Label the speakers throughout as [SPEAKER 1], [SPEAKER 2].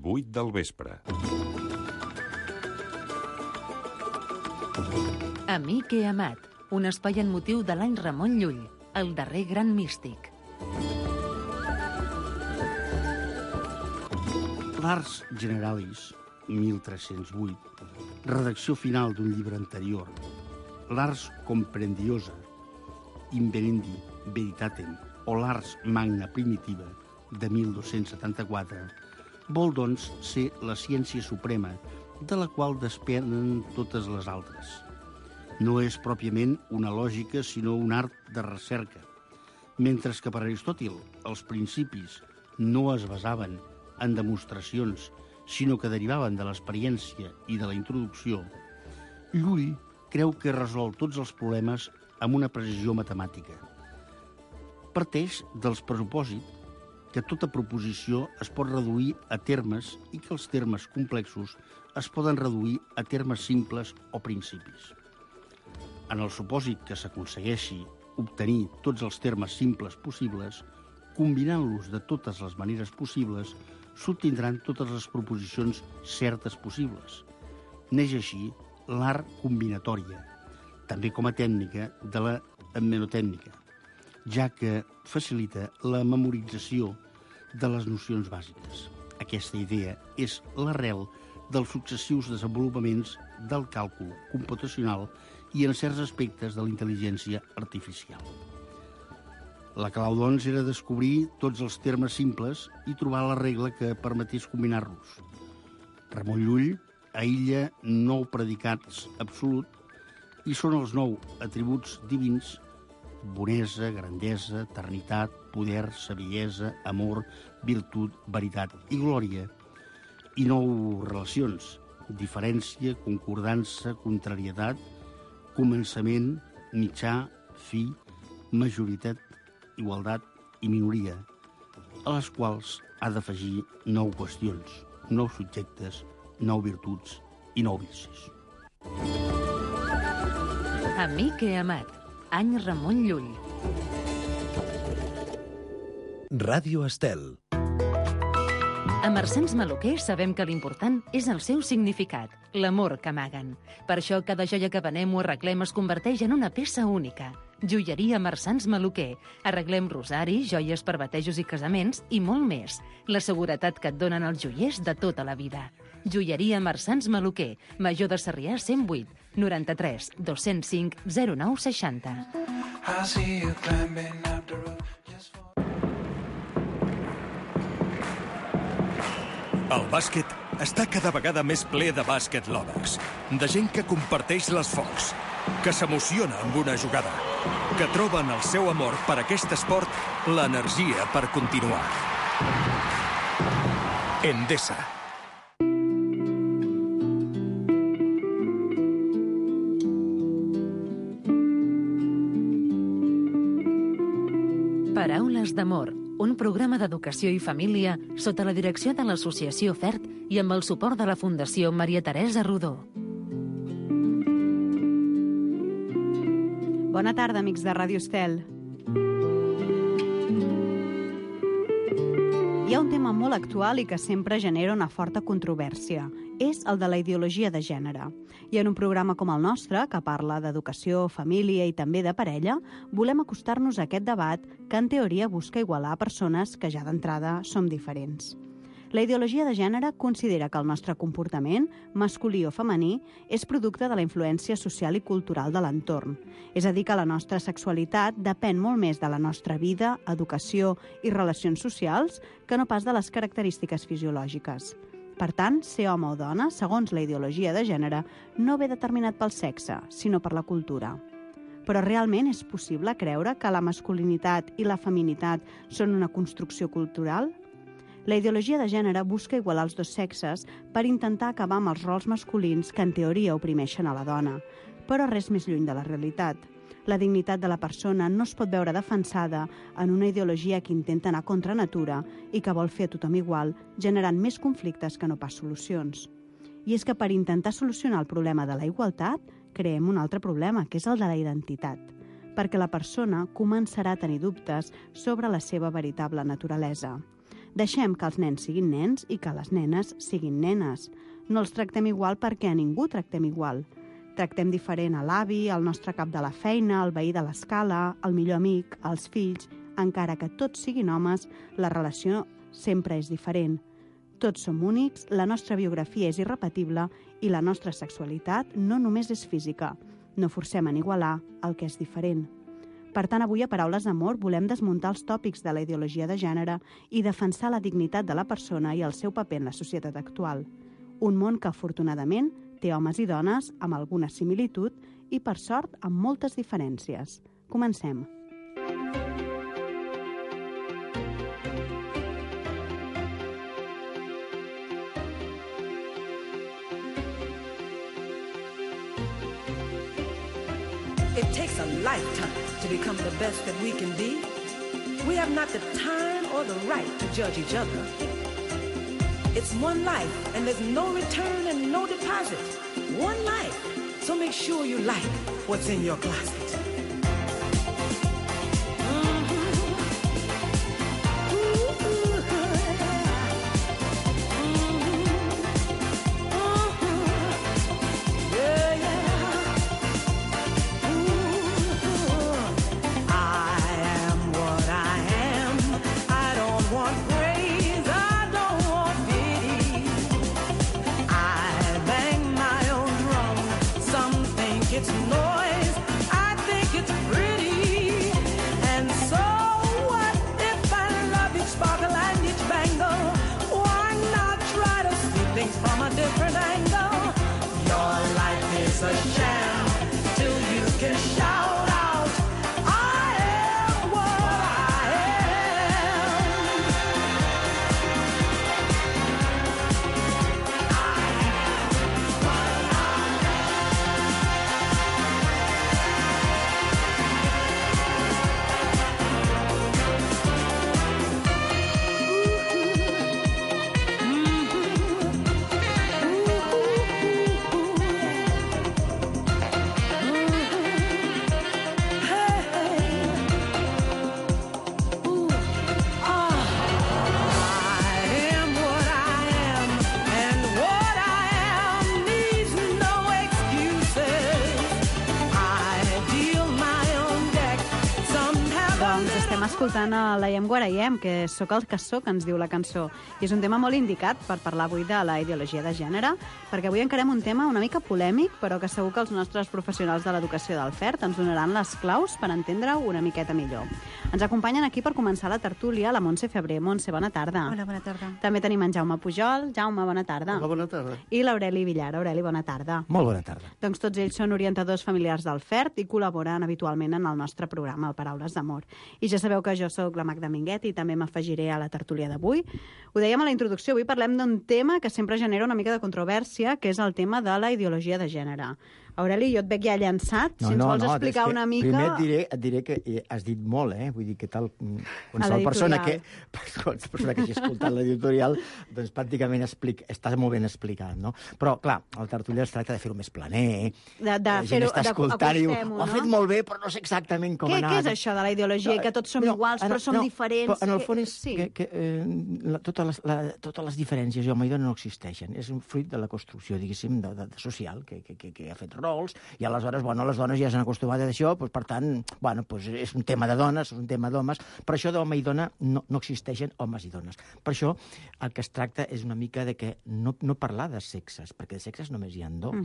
[SPEAKER 1] 8 del vespre.
[SPEAKER 2] Amic i amat, un espai en motiu de l'any Ramon Llull, el darrer gran místic.
[SPEAKER 3] L'Ars Generalis, 1308, redacció final d'un llibre anterior. L'Ars Comprendiosa, Invenendi Veritatem, o l'Ars Magna Primitiva, de 1274, vol, doncs, ser la ciència suprema de la qual despenen totes les altres. No és pròpiament una lògica, sinó un art de recerca. Mentre que per Aristòtil els principis no es basaven en demostracions, sinó que derivaven de l'experiència i de la introducció, Llull creu que resol tots els problemes amb una precisió matemàtica. Parteix dels presupòsits que tota proposició es pot reduir a termes i que els termes complexos es poden reduir a termes simples o principis. En el supòsit que s'aconsegueixi obtenir tots els termes simples possibles, combinant-los de totes les maneres possibles, s'obtindran totes les proposicions certes possibles. Neix així l'art combinatòria, també com a tècnica de la mnemotècnica, ja que facilita la memorització de les nocions bàsiques. Aquesta idea és l'arrel dels successius desenvolupaments del càlcul computacional i en certs aspectes de la intel·ligència artificial. La clau, doncs, era descobrir tots els termes simples i trobar la regla que permetés combinar-los. Ramon Llull aïlla 9 predicats absolut i són els 9 atributs divins: bonesa, grandesa, eternitat, poder, saviesa, amor, virtut, veritat i glòria. I 9 relacions: diferència, concordança, contrarietat, començament, mitjà, fi, majoritat, igualtat i minoria, a les quals ha d'afegir 9 qüestions, 9 subjectes, 9 virtuts i 9 vicis.
[SPEAKER 2] Amic i amat, any Ramon Llull.
[SPEAKER 4] Ràdio Estel.
[SPEAKER 2] A Marsans Maluquer sabem que l'important és el seu significat, l'amor que amaguen. Per això cada joia que venem o arreglem es converteix en una peça única. Joieria Marsans Maluquer. Arreglem rosari, joies per batejos i casaments i molt més. La seguretat que et donen els joiers de tota la vida. Joieria Marsans Maluquer, Major de Sarrià 108, 93 205 09 60.
[SPEAKER 5] El bàsquet està cada vegada més ple de bàsquet lovers, de gent que comparteix les focs, que s'emociona amb una jugada, que troben el seu amor per aquest esport l'energia per continuar. Endesa.
[SPEAKER 2] Paraules d'amor, un programa d'educació i família sota la direcció de l'Associació FERT i amb el suport de la Fundació Maria Teresa Rodó.
[SPEAKER 6] Bona tarda, amics de Ràdio Estel. Hi ha un tema molt actual i que sempre genera una forta controvèrsia. És el de la ideologia de gènere. I en un programa com el nostre, que parla d'educació, família i també de parella, volem acostar-nos a aquest debat que en teoria busca igualar persones que ja d'entrada som diferents. La ideologia de gènere considera que el nostre comportament, masculí o femení, és producte de la influència social i cultural de l'entorn. És a dir, que la nostra sexualitat depèn molt més de la nostra vida, educació i relacions socials que no pas de les característiques fisiològiques. Per tant, ser home o dona, segons la ideologia de gènere, no ve determinat pel sexe, sinó per la cultura. Però realment és possible creure que la masculinitat i la feminitat són una construcció cultural? La ideologia de gènere busca igualar els dos sexes per intentar acabar amb els rols masculins que en teoria oprimeixen a la dona, però res més lluny de la realitat. La dignitat de la persona no es pot veure defensada en una ideologia que intenta anar contra natura i que vol fer a tothom igual, generant més conflictes que no pas solucions. I és que per intentar solucionar el problema de la igualtat, creem un altre problema, que és el de la identitat, perquè la persona començarà a tenir dubtes sobre la seva veritable naturalesa. Deixem que els nens siguin nens i que les nenes siguin nenes. No els tractem igual perquè a ningú tractem igual. Tractem diferent a l'avi, al nostre cap de la feina, al veí de l'escala, al millor amic, als fills. Encara que tots siguin homes, la relació sempre és diferent. Tots som únics, la nostra biografia és irrepetible i la nostra sexualitat no només és física. No forcem en igualar el que és diferent. Per tant, avui a Paraules d'Amor volem desmuntar els tòpics de la ideologia de gènere i defensar la dignitat de la persona i el seu paper en la societat actual. Un món que, afortunadament, té homes i dones amb alguna similitud i, per sort, amb moltes diferències. Comencem.
[SPEAKER 1] It takes a lifetime to become the best that we can be. We have not the time or the right to judge each other. It's one life, and there's no return and no deposit. One life. So make sure you like what's in your closet.
[SPEAKER 6] Escoltant a l'Aiem Guaraiem, que sóc el que sóc, ens diu la cançó. I és un tema molt indicat per parlar avui de la ideologia de gènere, perquè avui encarem un tema una mica polèmic, però que segur que els nostres professionals de l'educació del FERT ens donaran les claus per entendre-ho una miqueta millor. Ens acompanyen aquí per començar la tertúlia la Montse Febrer. Montse, bona tarda.
[SPEAKER 7] Hola, bona tarda.
[SPEAKER 6] També tenim en Jaume Pujol. Jaume, bona tarda.
[SPEAKER 3] Hola, bona tarda.
[SPEAKER 6] I l'Aureli Villar. Aureli, bona tarda.
[SPEAKER 8] Molt bona tarda.
[SPEAKER 6] Doncs tots ells són orientadors familiars del FERT i col·laboren habitualment en el nostre programa, el Paraules d'Amor. I ja sabeu que jo sóc la Magda Minguet i també m'afegiré a la tertúlia d'avui. Ho dèiem a la introducció, avui parlem d'un tema que sempre genera una mica de controvèrsia, que és el tema de la ideologia de gènere. Aureli, jo et veig ja llançat, si ens vols explicar una mica...
[SPEAKER 8] Primer et diré que has dit molt, vull dir que tal... Qualsevol persona que hagi escoltat l'editorial, doncs pràcticament està molt ben explicat, no? Però, clar, el tertulià es tracta de fer-ho més planer,
[SPEAKER 6] de fer-ho,
[SPEAKER 8] d'acostem-ho, ho ha fet molt bé, però no sé exactament com ha anat.
[SPEAKER 6] Què és això de la ideologia, que tots som iguals, però som diferents?
[SPEAKER 8] Però en el fons és que totes les diferències home i dona no existeixen. És un fruit de la construcció, diguéssim, social, que ha fet rols, i aleshores, les dones ja s'han acostumat a això, per tant, és un tema de dones, és un tema d'homes, però això d'home i dona no existeixen homes i dones. Per això el que es tracta és una mica de que no parlar de sexes, perquè de sexes només hi ha dos,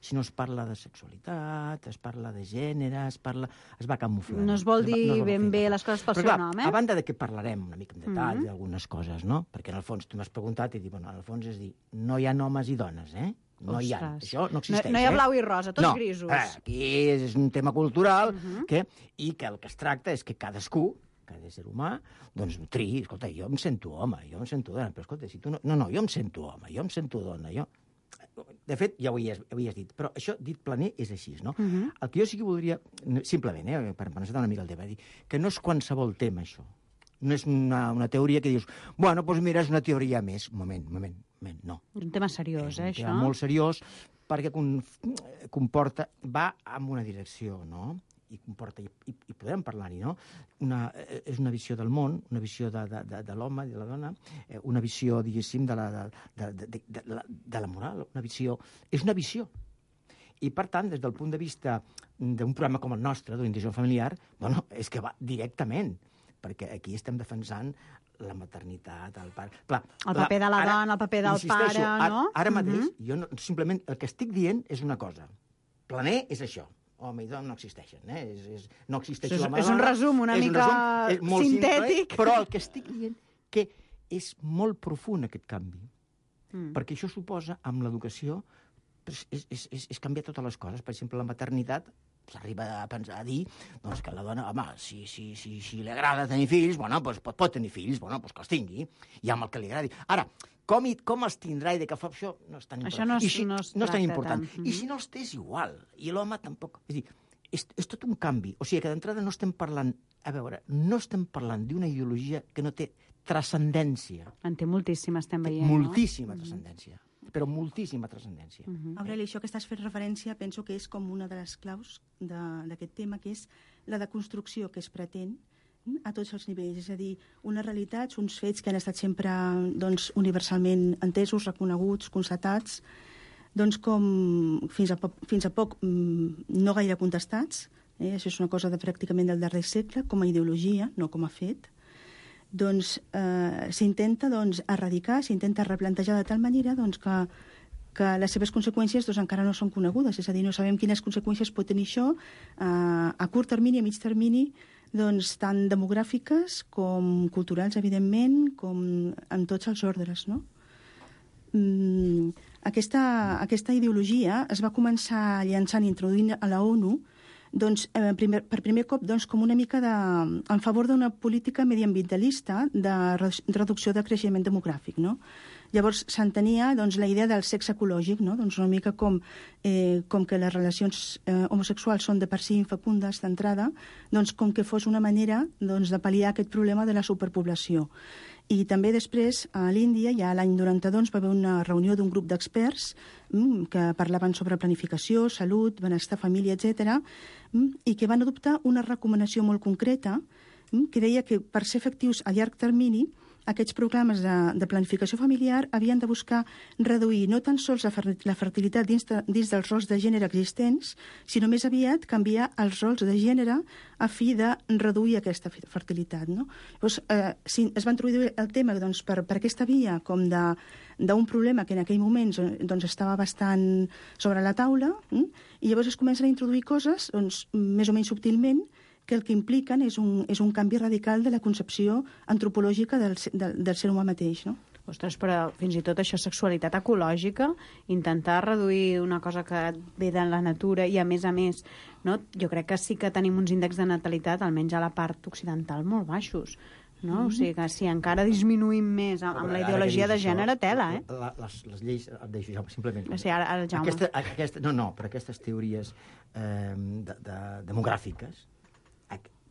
[SPEAKER 8] sinó es parla de sexualitat, es parla de gènere, es va camuflant.
[SPEAKER 6] No es vol dir ben bé les coses pel seu nom,
[SPEAKER 8] a banda de que parlarem una mica en detall d'algunes coses, no? Perquè en el fons tu m'has preguntat i dic, en el fons és dir, no hi ha homes i dones, No hi ha. Això no existeix.
[SPEAKER 6] No hi ha blau i rosa, tots grisos.
[SPEAKER 8] Aquí és un tema cultural i que el que es tracta és que cadascú, cada ésser humà, doncs triï, escolta, jo em sento home, jo em sento dona, però escolta, si tu no, jo em sento home, jo em sento dona, jo... De fet, ja ho havies dit, però això dit planer és així, no? El que jo sí que voldria, simplement, per pensar una mica el tema, dir que no és qualsevol tema, això. No és una teoria que dius, doncs mira, és una teoria més. Moment, no.
[SPEAKER 6] És un tema seriós, això.
[SPEAKER 8] És un tema molt seriós, perquè va en una direcció, no? i comporta, i podem parlar-hi, no? És una visió del món, una visió de l'home i de la dona, una visió, diguéssim, de la moral, és una visió. I, per tant, des del punt de vista d'un programa com el nostre, d'orientació familiar, bueno, és que va directament, perquè aquí estem defensant la maternitat, el pare... Clar,
[SPEAKER 6] el paper de la dona, el paper del pare, no?
[SPEAKER 8] Ara mateix, jo simplement el que estic dient és una cosa. Planer és això. Home i dona no existeixen, no existeix l'home i
[SPEAKER 6] dona. És un resum una mica sintètic.
[SPEAKER 8] Però el que estic dient que és molt profund aquest canvi. Perquè això suposa, amb l'educació, és canviar totes les coses. Per exemple, la maternitat, s'arriba a pensar, a dir doncs, que la dona, home, si li agrada tenir fills, bueno, doncs pot tenir fills, bueno, doncs que els tingui, i amb el que li agradi. Ara, com els tindrà i de què fa això, no és tan important.
[SPEAKER 6] Això no és
[SPEAKER 8] tan important. I si no els té, és igual. I l'home tampoc. És dir, és tot un canvi. O sigui que d'entrada no estem parlant, no estem parlant d'una ideologia que no té transcendència.
[SPEAKER 6] En té moltíssima, estem veient,
[SPEAKER 8] moltíssima transcendència. Però moltíssima transcendència.
[SPEAKER 7] Aureli, això que estàs fent referència penso que és com una de les claus d'aquest tema, que és la deconstrucció que es pretén a tots els nivells. És a dir, unes realitats, uns fets que han estat sempre universalment entesos, reconeguts, constatats, doncs com fins a poc no gaire contestats. Això és una cosa pràcticament del darrer segle, com a ideologia, no com a fet. Doncs s'intenta erradicar, s'intenta replantejar de tal manera que les seves conseqüències encara no són conegudes, és a dir, no sabem quines conseqüències pot tenir això a curt termini, a mig termini, tant demogràfiques com culturals, evidentment, com en tots els ordres, no? Aquesta ideologia es va començar llançant i introduint a la ONU per primer cop com una mica en favor d'una política mediambientalista de reducció de creixement demogràfic, no? Llavors s'entenia la idea del sexe ecològic, no? Una mica com que les relacions homosexuals són de per si infecundes d'entrada, com que fos una manera de pal·liar aquest problema de la superpoblació. I també després, a l'Índia, ja l'any 92, va haver una reunió d'un grup d'experts que parlaven sobre planificació, salut, benestar, família, etc., i que van adoptar una recomanació molt concreta que deia que per ser efectius a llarg termini aquests programes de planificació familiar havien de buscar reduir no tan sols la fertilitat dins dels rols de gènere existents, sinó més aviat canviar els rols de gènere a fi de reduir aquesta fertilitat, no? Llavors, es va introduir el tema per aquesta via com d'un problema que en aquell moment estava bastant sobre la taula, i llavors es comencen a introduir coses més o menys subtilment que el que impliquen és un canvi radical de la concepció antropològica del ser humà mateix, no?
[SPEAKER 6] Ostres, però fins i tot això, sexualitat ecològica, intentar reduir una cosa que ve de la natura i, a més, no? Jo crec que sí que tenim uns índexs de natalitat, almenys a la part occidental, molt baixos. No? O sigui que si encara disminuïm més amb la ideologia de gènere, tela,
[SPEAKER 8] Les lleis, et deixo, Jaume, simplement.
[SPEAKER 6] Sí, ara el Jaume.
[SPEAKER 8] Però aquestes teories demogràfiques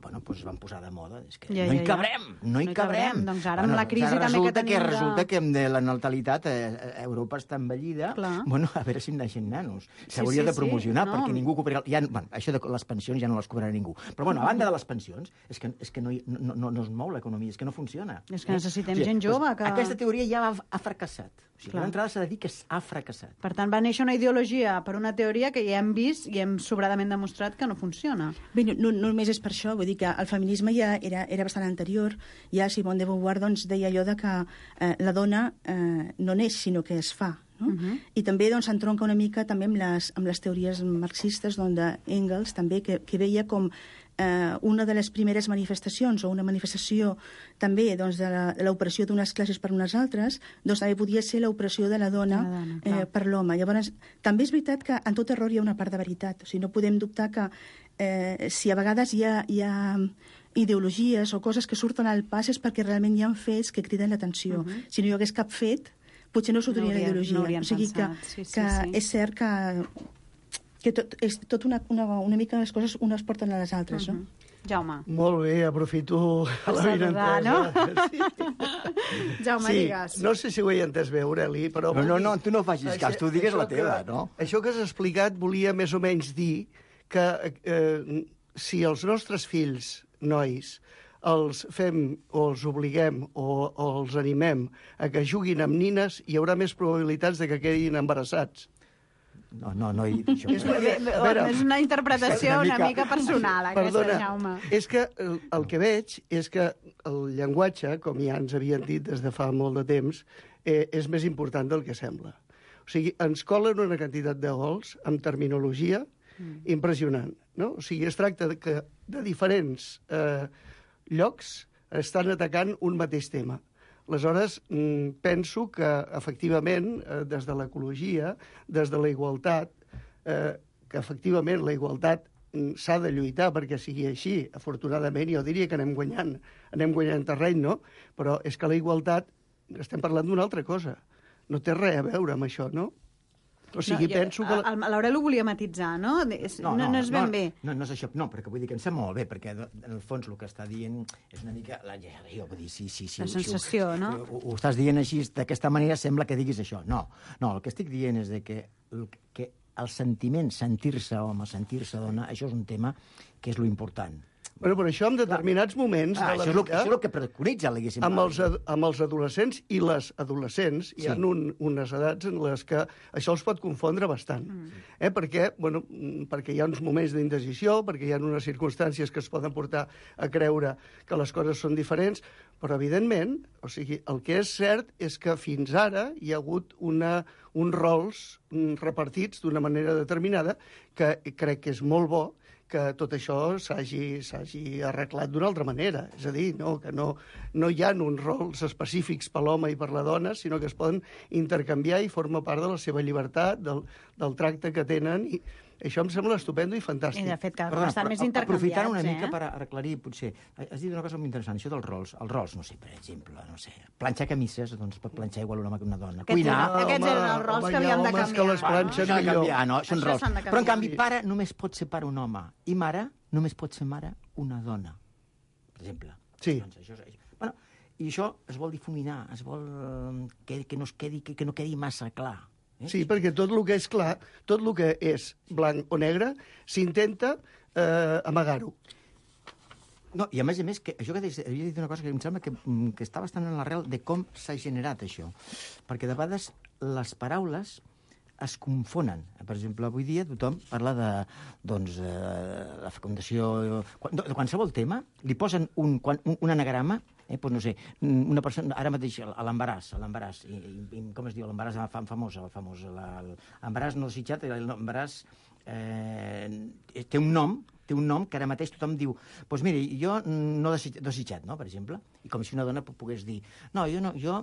[SPEAKER 8] es van posar de moda. És que no hi cabrem.
[SPEAKER 6] Doncs ara amb la crisi també que tenim...
[SPEAKER 8] Resulta que la natalitat a Europa està envellida. A veure si en naixen nanos. S'hauria de promocionar, perquè ningú cobrarà... Això de les pensions ja no les cobrarà ningú. Però, a banda de les pensions, és que no es mou l'economia, és que no funciona.
[SPEAKER 6] És que necessitem gent jove.
[SPEAKER 8] Aquesta teoria ja ha fracassat. O sigui, d'entrada s'ha de dir que ha fracassat.
[SPEAKER 6] Per tant, va néixer una ideologia per una teoria que ja hem vist i hem sobradament demostrat que no funciona.
[SPEAKER 7] Bé, no només és per això, vull dir que el feminisme ja era bastant anterior. Ja Simone de Beauvoir deia allò de que la dona no neix, sinó que es fa. No? I també s'entronca una mica també amb les teories marxistes d'Engels, també, que veia com una de les primeres manifestacions o una manifestació també de l'operació d'unes classes per unes altres, també podia ser l'operació de la dona per l'home. Llavors, també és veritat que en tot error hi ha una part de veritat. O sigui, no podem dubtar que si a vegades hi ha ideologies o coses que surten al pas és perquè realment hi ha fets que criden l'atenció. Si no hi hagués cap fet, potser no sortiria la ideologia. O sigui que és cert que és tot una mica les coses unes porten a les altres, no?
[SPEAKER 6] Jaume.
[SPEAKER 9] Molt bé, aprofito la
[SPEAKER 6] saludar, no? Jaume, digues.
[SPEAKER 9] No sé si ho he entès bé, Aureli, però...
[SPEAKER 8] No, tu no facis cas, tu digues la teva, no?
[SPEAKER 9] Això que has explicat volia més o menys dir que si els nostres fills, nois, els fem o els obliguem o els animem a que juguin amb nines, hi haurà més probabilitats de que quedin embarassats.
[SPEAKER 8] No he dit això.
[SPEAKER 6] És una interpretació una mica personal, aquesta, Jaume.
[SPEAKER 9] És que el que veig és que el llenguatge, com ja ens havien dit des de fa molt de temps, és més important del que sembla. O sigui, ens colen una quantitat de gols amb terminologia impressionant, no? O sigui, es tracta que de diferents llocs estan atacant un mateix tema. Aleshores, penso que, efectivament, des de l'ecologia, des de la igualtat, que, efectivament, la igualtat s'ha de lluitar perquè sigui així. Afortunadament, jo diria que anem guanyant terreny, no? Però és que la igualtat, estem parlant d'una altra cosa. No té res a veure amb això, no? O sigui, penso que...
[SPEAKER 6] L'Aurel ho volia matitzar, no? No és ben bé.
[SPEAKER 8] No és això, no, perquè vull dir que em sembla molt bé, perquè en el fons el que està dient és una mica... Jo vull dir, sí,
[SPEAKER 6] la sensació, no?
[SPEAKER 8] Ho estàs dient així, d'aquesta manera sembla que diguis això. No, el que estic dient és que el sentiment, sentir-se home, sentir-se dona, això és un tema que és lo important.
[SPEAKER 9] Bueno, però això en determinats moments de la vida...
[SPEAKER 8] Això és el que preconitza, diguéssim.
[SPEAKER 9] Amb els adolescents i les adolescents hi ha unes edats en les que això els pot confondre bastant. Perquè hi ha uns moments d'indecisió, perquè hi ha unes circumstàncies que es poden portar a creure que les coses són diferents, però, evidentment, o sigui, el que és cert és que fins ara hi ha hagut uns rols repartits d'una manera determinada que crec que és molt bo que tot això s'hagi arreglat d'una altra manera. És a dir, que no hi ha uns rols específics per l'home i per la dona, sinó que es poden intercanviar i forma part de la seva llibertat, del tracte que tenen. I això em sembla estupendo i fantàstic.
[SPEAKER 6] I, de fet, cada cop estan més intercanviats.
[SPEAKER 8] Aprofitant una mica per aclarir, potser, has dit una cosa molt interessant, això dels rols. Els rols, no sé, per exemple, planxar camises, doncs pot planxar igual un home que una dona. Cuinar...
[SPEAKER 6] Aquests eren els rols que havíem de canviar.
[SPEAKER 9] Que les planxen millor.
[SPEAKER 8] Són rols. Però, en canvi, pare només pot ser pare un home i mare només pot ser mare una dona, per exemple.
[SPEAKER 9] Sí.
[SPEAKER 8] Bueno, i això es vol difuminar, es vol que no quedi massa clar.
[SPEAKER 9] Sí, perquè tot el que és clar, tot el que és blanc o negre, s'intenta amagar-ho.
[SPEAKER 8] No, i a més, que això que havia dit una cosa que em sembla que està bastant en l'arrel de com s'ha generat això. Perquè de vegades les paraules es confonen. Per exemple, avui dia tothom parla de la fecundació... De qualsevol tema, li posen un anagrama, doncs no sé, una persona, ara mateix, l'embaràs, com es diu, l'embaràs famós, l'embaràs no desitjat, l'embaràs té un nom que ara mateix tothom diu, doncs mira, jo no desitjat, no?, per exemple, i com si una dona pogués dir, jo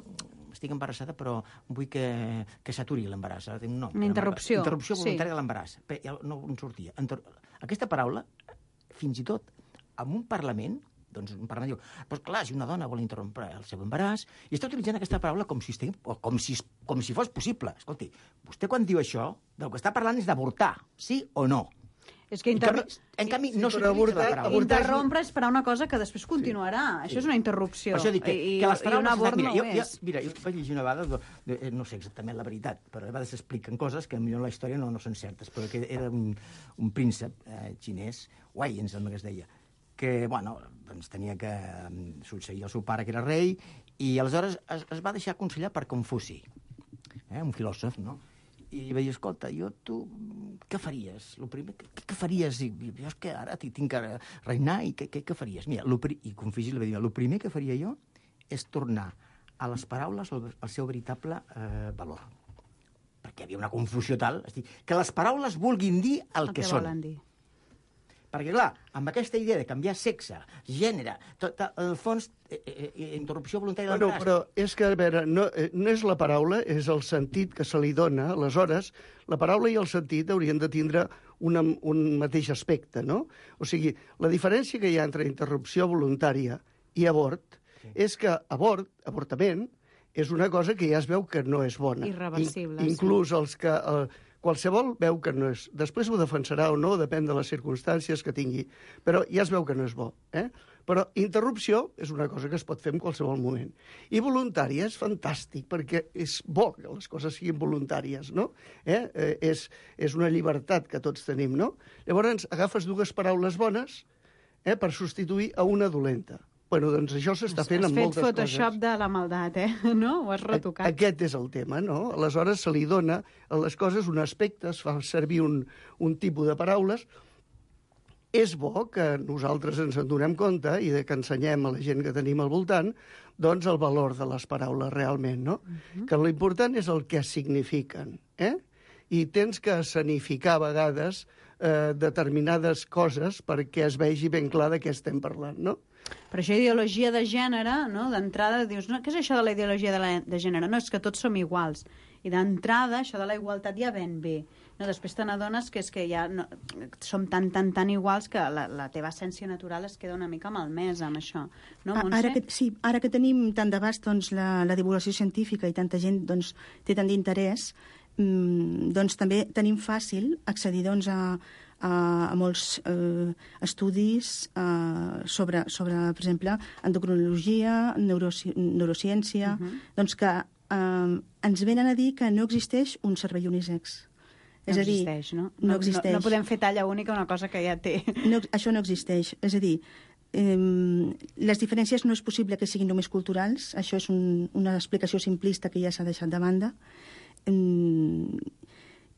[SPEAKER 8] estic embarassada però vull que s'aturi l'embaràs, té un nom.
[SPEAKER 6] Una interrupció.
[SPEAKER 8] Interrupció voluntària de l'embaràs. No en sortia. Aquesta paraula, fins i tot, en un Parlament, doncs un Parlament diu, doncs clar, si una dona vol interrompre el seu embaràs, i està utilitzant aquesta paraula com si fos possible. Escolti, vostè quan diu això, del que està parlant és d'avortar, sí o no?
[SPEAKER 6] És que
[SPEAKER 8] en canvi, no s'utilitza la paraula.
[SPEAKER 6] Interrompre és per a una cosa que després continuarà. Això és una interrupció.
[SPEAKER 8] Per això dic que les paraules...
[SPEAKER 6] I un abort no ho és.
[SPEAKER 8] Mira, jo vaig llegir una vegada, no sé exactament la veritat, però a vegades s'expliquen coses que potser en la història no són certes, però que era un príncep xinès, Wei, em sembla que es deia, que, doncs tenia que succeir el seu pare, que era rei, i aleshores es va deixar aconsellar per Confuci, un filòsof, no? I va dir, escolta, tu què faries? Què faries? Jo és que ara tinc que regnar i què faries? Mira, i Confuci li va dir, el primer que faria jo és tornar a les paraules el seu veritable valor. Perquè hi havia una confusió tal, que les paraules vulguin dir el que són.
[SPEAKER 6] Volen dir.
[SPEAKER 8] Perquè, clar, amb aquesta idea de canviar sexe, gènere, tot el fons, interrupció voluntària de l'embaràs...
[SPEAKER 9] Però és que, a veure, no és la paraula, és el sentit que se li dona. Aleshores, la paraula i el sentit haurien de tindre un mateix aspecte, no? O sigui, la diferència que hi ha entre interrupció voluntària i abort és que avortament, és una cosa que ja es veu que no és bona.
[SPEAKER 6] Irreversible.
[SPEAKER 9] Inclús els que... Qualsevol veu que no és... Després ho defensarà o no, depèn de les circumstàncies que tingui, però ja es veu que no és bo. Però interrupció és una cosa que es pot fer en qualsevol moment. I voluntària és fantàstic, perquè és bo que les coses siguin voluntàries, no? És una llibertat que tots tenim, no? Llavors agafes dues paraules bones per substituir a una dolenta. Bueno, doncs això s'està fent amb moltes coses.
[SPEAKER 6] Has fet Photoshop de la maldat, no? Ho has retocat.
[SPEAKER 9] Aquest és el tema, no? Aleshores se li dona a les coses un aspecte, es fa servir un tipus de paraules. És bo que nosaltres ens en donem compte i que ensenyem a la gent que tenim al voltant doncs el valor de les paraules realment, no? Que l'important és el que signifiquen, I tens que escenificar a vegades determinades coses perquè es vegi ben clar de què estem parlant, no?
[SPEAKER 6] Però això ideologia de gènere, no? D'entrada dius, no, què és això de la ideologia de gènere? No, és que tots som iguals. I d'entrada, això de la igualtat ja ven bé. No, després te n'adones que és que ja som tan iguals que la teva essència natural es queda una mica malmesa amb això. No, Montse?
[SPEAKER 7] Ara que tenim tant d'abast doncs, la divulgació científica i tanta gent doncs, té tant d'interès, doncs també tenim fàcil accedir doncs, a molts estudis sobre, per exemple, endocrinologia, neurociència, doncs que ens venen a dir que no existeix un cervell unisex.
[SPEAKER 6] No existeix, no? No existeix. No podem fer talla única una cosa que ja té.
[SPEAKER 7] Això no existeix. És a dir, les diferències no és possible que siguin només culturals. Això és una explicació simplista que ja s'ha deixat de banda.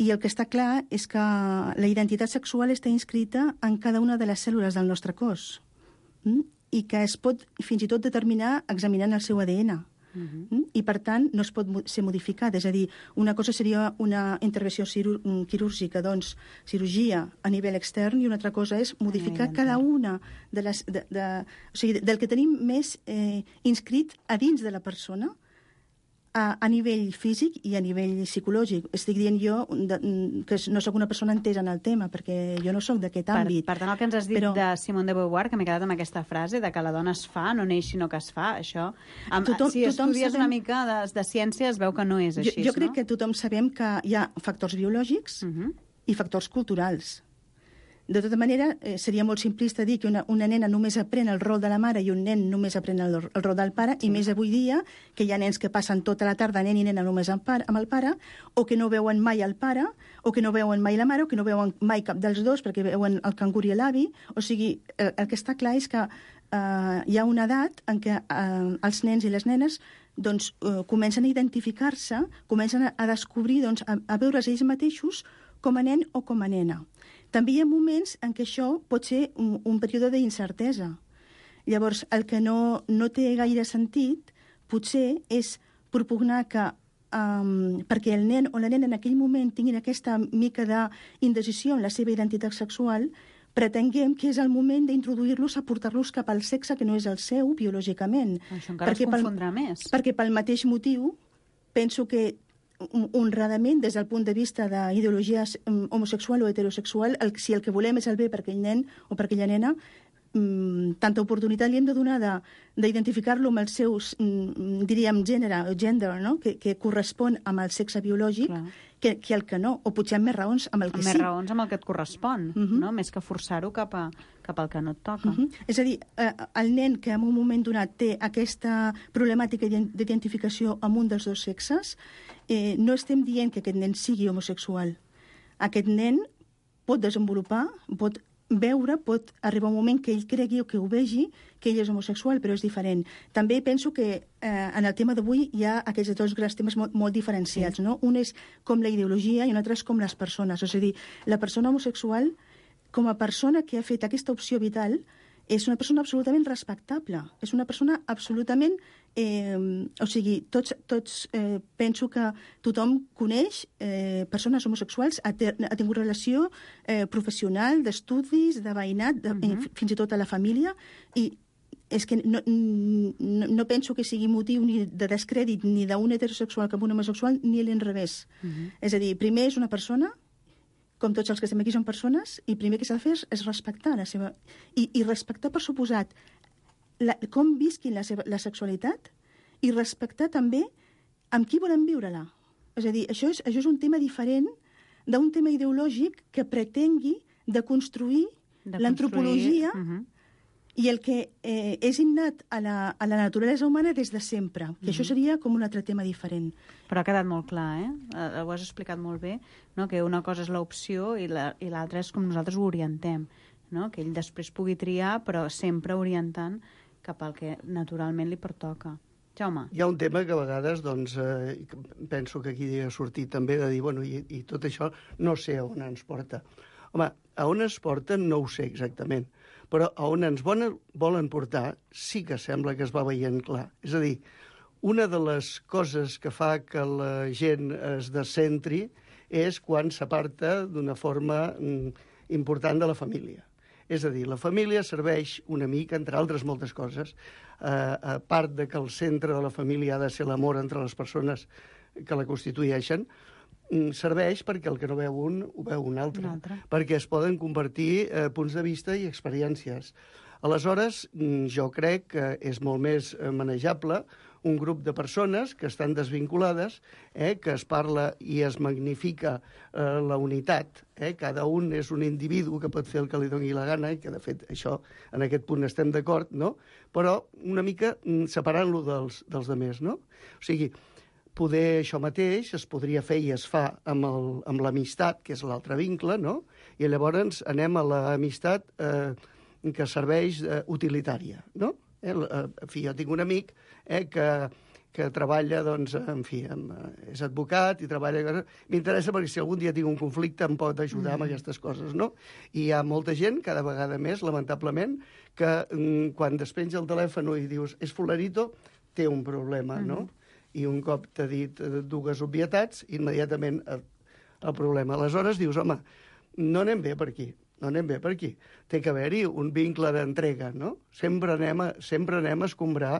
[SPEAKER 7] I el que està clar és que la identitat sexual està inscrita en cada una de les cèl·lules del nostre cos i que es pot fins i tot determinar examinant el seu ADN. I, per tant, no es pot ser modificat. És a dir, una cosa seria una intervenció quirúrgica, doncs, cirurgia a nivell extern, i una altra cosa és modificar cada una de les... o sigui, del que tenim més inscrit a dins de la persona, a nivell físic i a nivell psicològic. Estic dient jo que no sóc una persona entesa en el tema, perquè jo no sóc d'aquest àmbit.
[SPEAKER 6] Per tant, el que ens has dit de Simone de Beauvoir, que m'he quedat amb aquesta frase, de que la dona es fa, no neix sinó que es fa, això... Si estudies una mica de ciència es veu que no és així,
[SPEAKER 7] jo crec que tothom sabem que hi ha factors biològics i factors culturals. De tota manera, seria molt simplista dir que una nena només aprèn el rol de la mare i un nen només aprèn el rol del pare, i més avui dia, que hi ha nens que passen tota la tarda, nen i nena, només amb el pare, o que no veuen mai el pare, o que no veuen mai la mare, o que no veuen mai cap dels dos, perquè veuen el cangur i l'avi. O sigui, el que està clar és que hi ha una edat en què els nens i les nenes doncs, comencen a identificar-se, comencen a descobrir, doncs, a veure's ells mateixos com a nen o com a nena. També hi ha moments en què això pot ser un període d'incertesa. Llavors, el que no té gaire sentit, potser, és propugnar que perquè el nen o la nena en aquell moment tinguin aquesta mica d'indecisió en la seva identitat sexual, pretenguem que és el moment d'introduir-los, a portar-los cap al sexe que no és el seu, biològicament.
[SPEAKER 6] Això encara es confondrà més.
[SPEAKER 7] Perquè pel mateix motiu, penso que honradament, des del punt de vista d'ideologia homosexual o heterosexual, si el que volem és el bé per aquell nen o per aquella nena, tanta oportunitat li hem de donar d'identificar-lo amb el seu, diríem, gender, no? que correspon amb el sexe biològic, que el que no, o potser amb més raons amb el que sí.
[SPEAKER 6] Amb més raons amb el que et correspon, no? Més que forçar-ho cap al que no et toca.
[SPEAKER 7] És a dir, el nen que en un moment donat té aquesta problemàtica d'identificació amb un dels dos sexes, no estem dient que aquest nen sigui homosexual. Aquest nen pot desenvolupar, pot veure, pot arribar un moment que ell cregui o que ho vegi, que ell és homosexual, però és diferent. També penso que en el tema d'avui hi ha aquests dos grans temes molt diferenciats, no? Un és com la ideologia i un altre és com les persones. És a dir, la persona homosexual, com a persona que ha fet aquesta opció vital, és una persona absolutament respectable. És una persona absolutament... o sigui, tots penso que tothom coneix persones homosexuals, ha tingut relació professional, d'estudis, de veïnat, fins i tot a la família, i és que no penso que sigui motiu ni de descrèdit ni d'un heterosexual com un homosexual, ni a l'inrevés. És a dir, primer és una persona, com tots els que estem aquí són persones, i primer que s'ha de fer és respectar la seva... I respectar, per suposat, com visquin la sexualitat, i respectar també amb qui volen viure-la. És a dir, això és un tema diferent d'un tema ideològic que pretengui de construir l'antropologia i el que és innat a la naturalesa humana des de sempre, que això seria com un altre tema diferent.
[SPEAKER 6] Però ha quedat molt clar, ho has explicat molt bé, no? Que una cosa és l'opció i l'altra és com nosaltres ho orientem, no? Que ell després pugui triar, però sempre orientant cap al que naturalment li pertoca. Jaume.
[SPEAKER 9] Hi ha un tema que a vegades, doncs, penso que aquí ha sortit també de dir, bueno, i tot això no sé a on ens porta. Home, a on ens porta no ho sé exactament, però a on ens volen portar sí que sembla que es va veient clar. És a dir, una de les coses que fa que la gent es descentri és quan s'aparta d'una forma important de la família. És a dir, la família serveix una mica, entre altres moltes coses, a part de que el centre de la família ha de ser l'amor entre les persones que la constitueixen, serveix perquè el que no veu un, ho veu un altre. Perquè es poden compartir punts de vista i experiències. Aleshores, jo crec que és molt més manejable un grup de persones que estan desvinculades, que es parla i es magnifica la unitat. Cada un és un individu que pot fer el que li doni la gana, i que, de fet, això, en aquest punt estem d'acord, no? Però una mica separant-lo dels altres, no? O sigui, poder això mateix es podria fer i es fa amb l'amistat, que és l'altre vincle, no? I llavors anem a l'amistat que serveix utilitària, no? En fi, jo tinc un amic que treballa, doncs, en fi, és advocat i treballa... M'interessa perquè si algun dia tinc un conflicte em pot ajudar amb aquestes coses, no? I hi ha molta gent, cada vegada més, lamentablement, que quan despenja el telèfon i dius és fulanito, té un problema, no? I un cop t'ha dit dues obvietats, immediatament el problema. Aleshores dius, home, no anem bé per aquí, no anem bé per aquí. Té que haver-hi un vincle d'entrega, no? Sempre anem a escombrar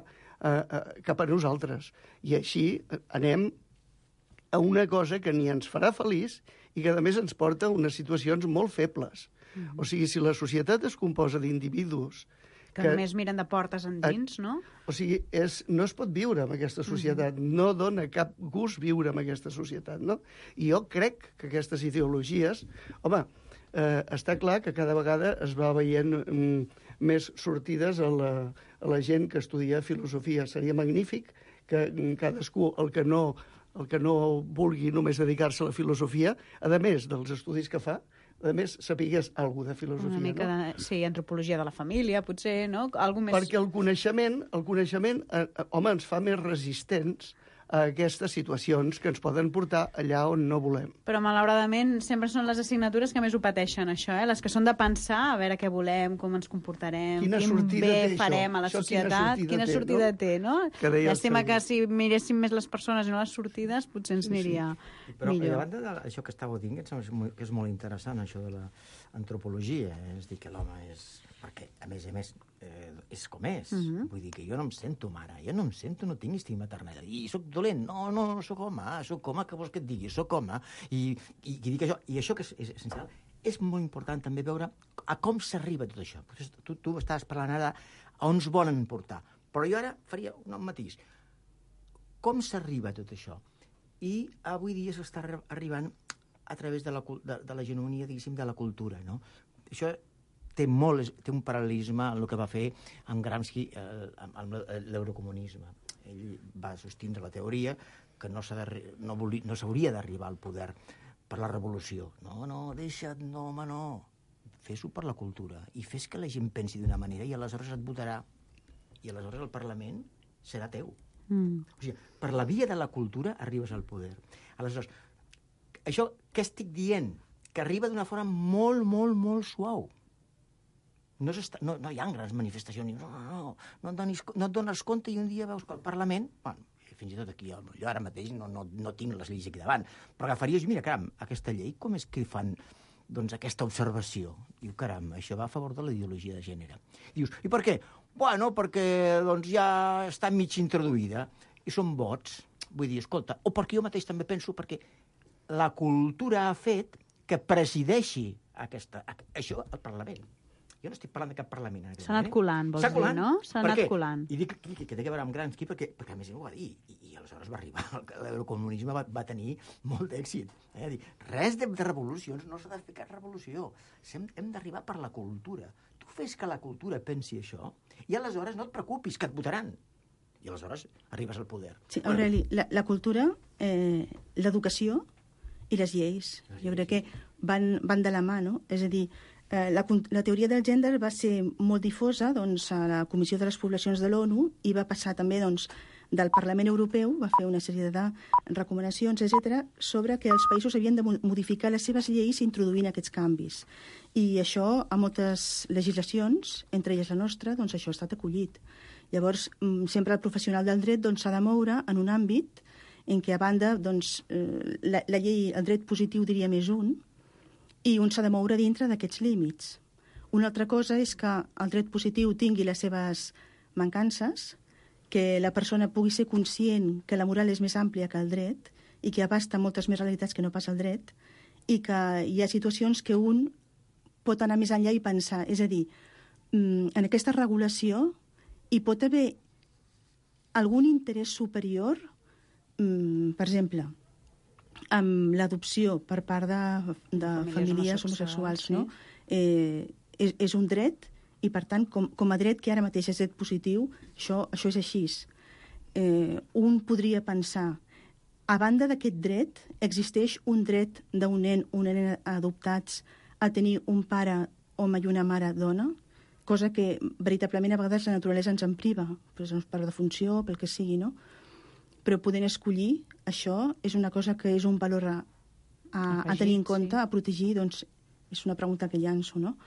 [SPEAKER 9] cap a nosaltres. I així anem a una cosa que ni ens farà feliç i que, a més, ens porta a unes situacions molt febles. O sigui, si la societat es composa d'individus
[SPEAKER 6] que només miren de portes endins, no?
[SPEAKER 9] O sigui, no es pot viure en aquesta societat, no dona cap gust viure en aquesta societat, no? I jo crec que aquestes ideologies... Home, està clar que cada vegada es va veient més sortides a la gent que estudia filosofia. Seria magnífic que cadascú, el que no vulgui només dedicar-se a la filosofia, a més dels estudis que fa, a més, sapigués alguna de filosofia,
[SPEAKER 6] una mica
[SPEAKER 9] no?
[SPEAKER 6] Sí, antropologia de la família, potser, no? Algo més...
[SPEAKER 9] Perquè el coneixement home, ens fa més resistents a aquestes situacions que ens poden portar allà on no volem.
[SPEAKER 6] Però, malauradament, sempre són les assignatures que més ho pateixen, això, les que són de pensar, a veure què volem, com ens comportarem, quin bé farem a la societat, quina sortida té, no? Llàstima que si miréssim més les persones i no les sortides, potser ens aniria millor.
[SPEAKER 8] Però, a banda d'això que estàveu dient, que és molt interessant, això de l'antropologia, és dir, que l'home és... Perquè, a més, és com és. Vull dir que jo no em sento mare, no tinc instinct maternal. I soc dolent, no soc home, que vols que et digui, soc home. I dic això, i això que és essencial, és molt important també veure a com s'arriba tot això. Tu estaves parlant ara a on ens volen portar, però jo ara faria un matís. Com s'arriba a tot això? I avui dia s'està arribant a través de la genuïnia, diguéssim, de la cultura, no? Això té un paral·lelisme en el que va fer amb Gramsci amb l'eurocomunisme. Ell va sostindre la teoria que no s'hauria d'arribar al poder per la revolució. Deixa't, home, no. Fes-ho per la cultura i fes que la gent pensi d'una manera i aleshores et votarà. I aleshores el Parlament serà teu. O sigui, per la via de la cultura arribes al poder. Aleshores, això què estic dient? Que arriba d'una forma molt, molt, molt suau. No hi ha grans manifestacions. No et dones compte i un dia veus que el Parlament... Bueno, fins i tot aquí, jo ara mateix no tinc les lleis aquí davant, però agafaries, mira, caram, aquesta llei, com és que fan doncs, aquesta observació? Diu, caram, això va a favor de la ideologia de gènere. Dius, i per què? Bueno, perquè doncs, ja està mig introduïda i són vots. Vull dir, escolta, o perquè jo mateix també penso perquè la cultura ha fet que presideixi això al Parlament. Jo no estic parlant de cap parlament.
[SPEAKER 6] S'ha anat colant, vols dir, no? S'ha anat colant.
[SPEAKER 8] I dic que té a veure amb Gramsci perquè a més ell ho va dir, i aleshores va arribar, el comunisme va tenir molt d'èxit. Dir, res de revolucions, no s'ha de fer cap revolució. Hem d'arribar per la cultura. Tu fes que la cultura pensi això, i aleshores no et preocupis, que et votaran. I aleshores arribes al poder.
[SPEAKER 7] Sí, Aureli, la cultura, l'educació i les lleis, jo crec que van de la mà, no? És a dir, la teoria del gènere va ser molt difosa doncs, a la Comissió de les Poblacions de l'ONU i va passar també doncs, del Parlament Europeu, va fer una sèrie de recomanacions, etc., sobre que els països havien de modificar les seves lleis introduint aquests canvis. I això, a moltes legislacions, entre elles la nostra, doncs això ha estat acollit. Llavors, sempre el professional del dret doncs, s'ha de moure en un àmbit en què, a banda, doncs, la llei, el dret positiu diria més un, i un s'ha de moure dintre d'aquests límits. Una altra cosa és que el dret positiu tingui les seves mancances, que la persona pugui ser conscient que la moral és més àmplia que el dret i que abasta moltes més realitats que no pas el dret, i que hi ha situacions que un pot anar més enllà i pensar. És a dir, en aquesta regulació hi pot haver algun interès superior, per exemple, amb l'adopció per part de famílies homosexuals, no? És un dret i, per tant, com a dret que ara mateix és dret positiu, això és així. Un podria pensar, a banda d'aquest dret, existeix un dret d'un nen o una nena adoptats a tenir un pare home i una mare dona, cosa que veritablement a vegades la naturalesa ens en priva, per defunció, pel que sigui, no? Però podent escollir, això és una cosa que és un valor a tenir en compte, a protegir, doncs és una pregunta que llanço, no?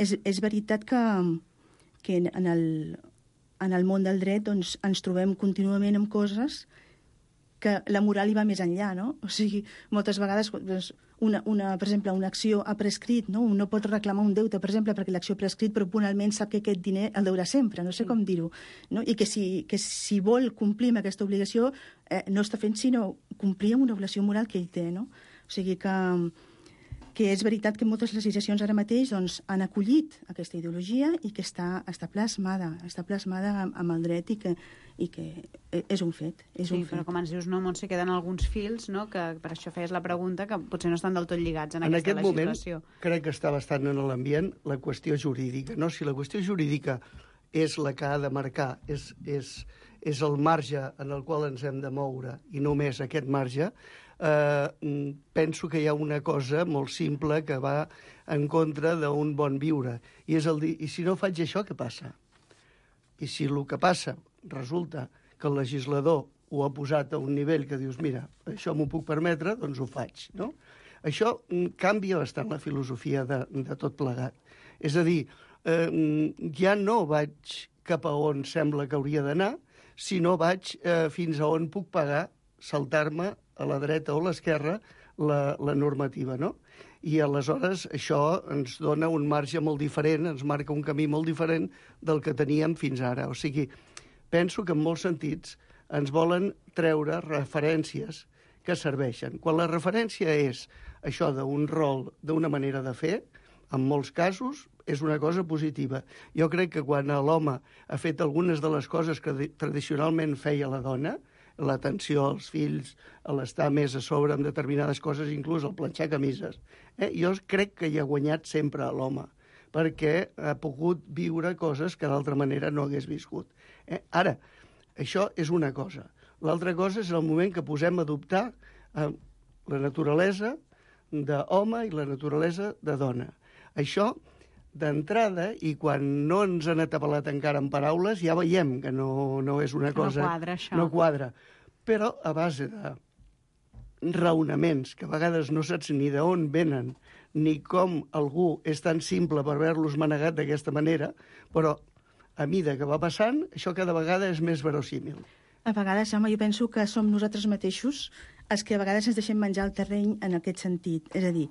[SPEAKER 7] És veritat que en el món del dret doncs, ens trobem contínuament amb coses que la moral hi va més enllà, no? O sigui, moltes vegades, doncs, per exemple, una acció ha prescrit, no? Un no pot reclamar un deute, per exemple, perquè l'acció ha prescrit, però puntualment sap que aquest diner el deurà sempre, no sé com dir-ho, no? I que si vol complir amb aquesta obligació, no està fent sinó complir amb una obligació moral que ell té, no? O sigui que és veritat que moltes legislacions ara mateix doncs, han acollit aquesta ideologia i que està plasmada amb el dret i que és un fet.
[SPEAKER 6] Sí, però com ens dius, no, Montse, queden alguns fils, no?, que per això feies la pregunta, que potser no estan del tot lligats en aquesta legislació.
[SPEAKER 9] En aquest moment crec que està bastant en l'ambient la qüestió jurídica, no? Si la qüestió jurídica és la que ha de marcar, és el marge en el qual ens hem de moure i només aquest marge, penso que hi ha una cosa molt simple que va en contra d'un bon viure, i és el dir, i si no faig això, què passa? I si el que passa resulta que el legislador ho ha posat a un nivell que dius, mira, això m'ho puc permetre, doncs ho faig, no? Això canvia bastant la filosofia de tot plegat. És a dir, ja no vaig cap a on sembla que hauria d'anar, sinó vaig fins a on puc pagar, saltar-me a la dreta o a l'esquerra la normativa, no? I aleshores això ens dona un marge molt diferent, ens marca un camí molt diferent del que teníem fins ara. O sigui, penso que en molts sentits ens volen treure referències que serveixen. Quan la referència és això d'un rol, d'una manera de fer, en molts casos és una cosa positiva. Jo crec que quan l'home ha fet algunes de les coses que tradicionalment feia la dona, l'atenció als fills, l'estar més a sobre amb determinades coses, inclús el planxar camises, jo crec que hi ha guanyat sempre l'home, perquè ha pogut viure coses que d'altra manera no hagués viscut. Ara, això és una cosa. L'altra cosa és el moment que posem a adoptar la naturalesa d'home i la naturalesa de dona. Això, d'entrada, i quan no ens han atabalat encara en paraules, ja veiem que no és una cosa...
[SPEAKER 6] No quadra, això.
[SPEAKER 9] No quadra. Però a base de raonaments que a vegades no saps ni d'on venen, ni com algú és tan simple per haver-los manegat d'aquesta manera, però a mida que va passant, això cada vegada és més verossímil.
[SPEAKER 7] A vegades, home, jo penso que som nosaltres mateixos els que a vegades ens deixem menjar el terreny en aquest sentit. És a dir,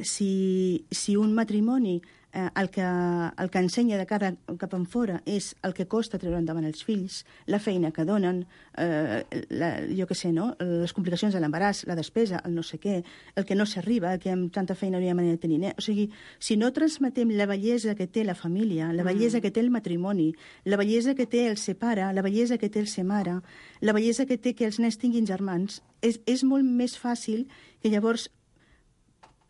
[SPEAKER 7] si un matrimoni el que ensenya de cara cap enfora és el que costa treure endavant els fills, la feina que donen, jo què sé, no? Les complicacions de l'embaràs, la despesa, el no sé què, el que no s'arriba, que amb tanta feina no hi ha manera de tenir. O sigui, si no transmetem la bellesa que té la família, la bellesa que té el matrimoni, la bellesa que té el ser pare, la bellesa que té el ser mare, la bellesa que té que els nens tinguin germans, és molt més fàcil que llavors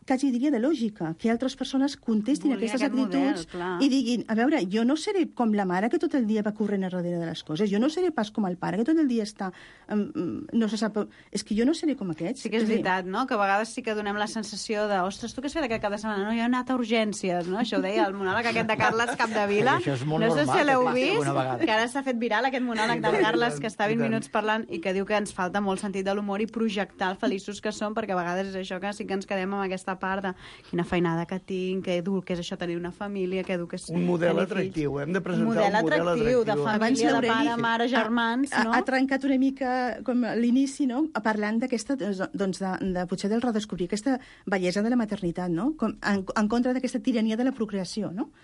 [SPEAKER 7] quasi diria de lògica, que altres persones contestin aquestes actituds i diguin, a veure, jo no seré com la mare que tot el dia va corrent a darrere de les coses, jo no seré pas com el pare que tot el dia està... no se sap... És que jo no seré com aquests.
[SPEAKER 6] Sí que és veritat, no? Que a vegades sí que donem la sensació de, ostres, tu què has fet aquest cap de setmana? No, jo he anat a urgències, no? Això ho deia el monòleg aquest de Carles Capdevila.
[SPEAKER 8] Això és molt
[SPEAKER 6] no sé
[SPEAKER 8] normal,
[SPEAKER 6] si l'heu vist,
[SPEAKER 8] vist,
[SPEAKER 6] que ara s'ha fet viral aquest monòleg del Carles, que està 20 minuts parlant i que diu que ens falta molt sentit de l'humor i projectar el feliços que som, perquè a vegades és això que sí que ens quedem amb aquesta part de quina feinada que tinc, que dur que és això tenir una família, que dur que és...
[SPEAKER 9] Un model atractiu, hem de presentar un model atractiu.
[SPEAKER 6] De família, de pare, mare, germans, no?
[SPEAKER 7] Ha trencat una mica com l'inici, no? Parlant d'aquesta, doncs, de potser del redescobrir aquesta bellesa de la maternitat, no? Com, en contra d'aquesta tirania de la procreació, no?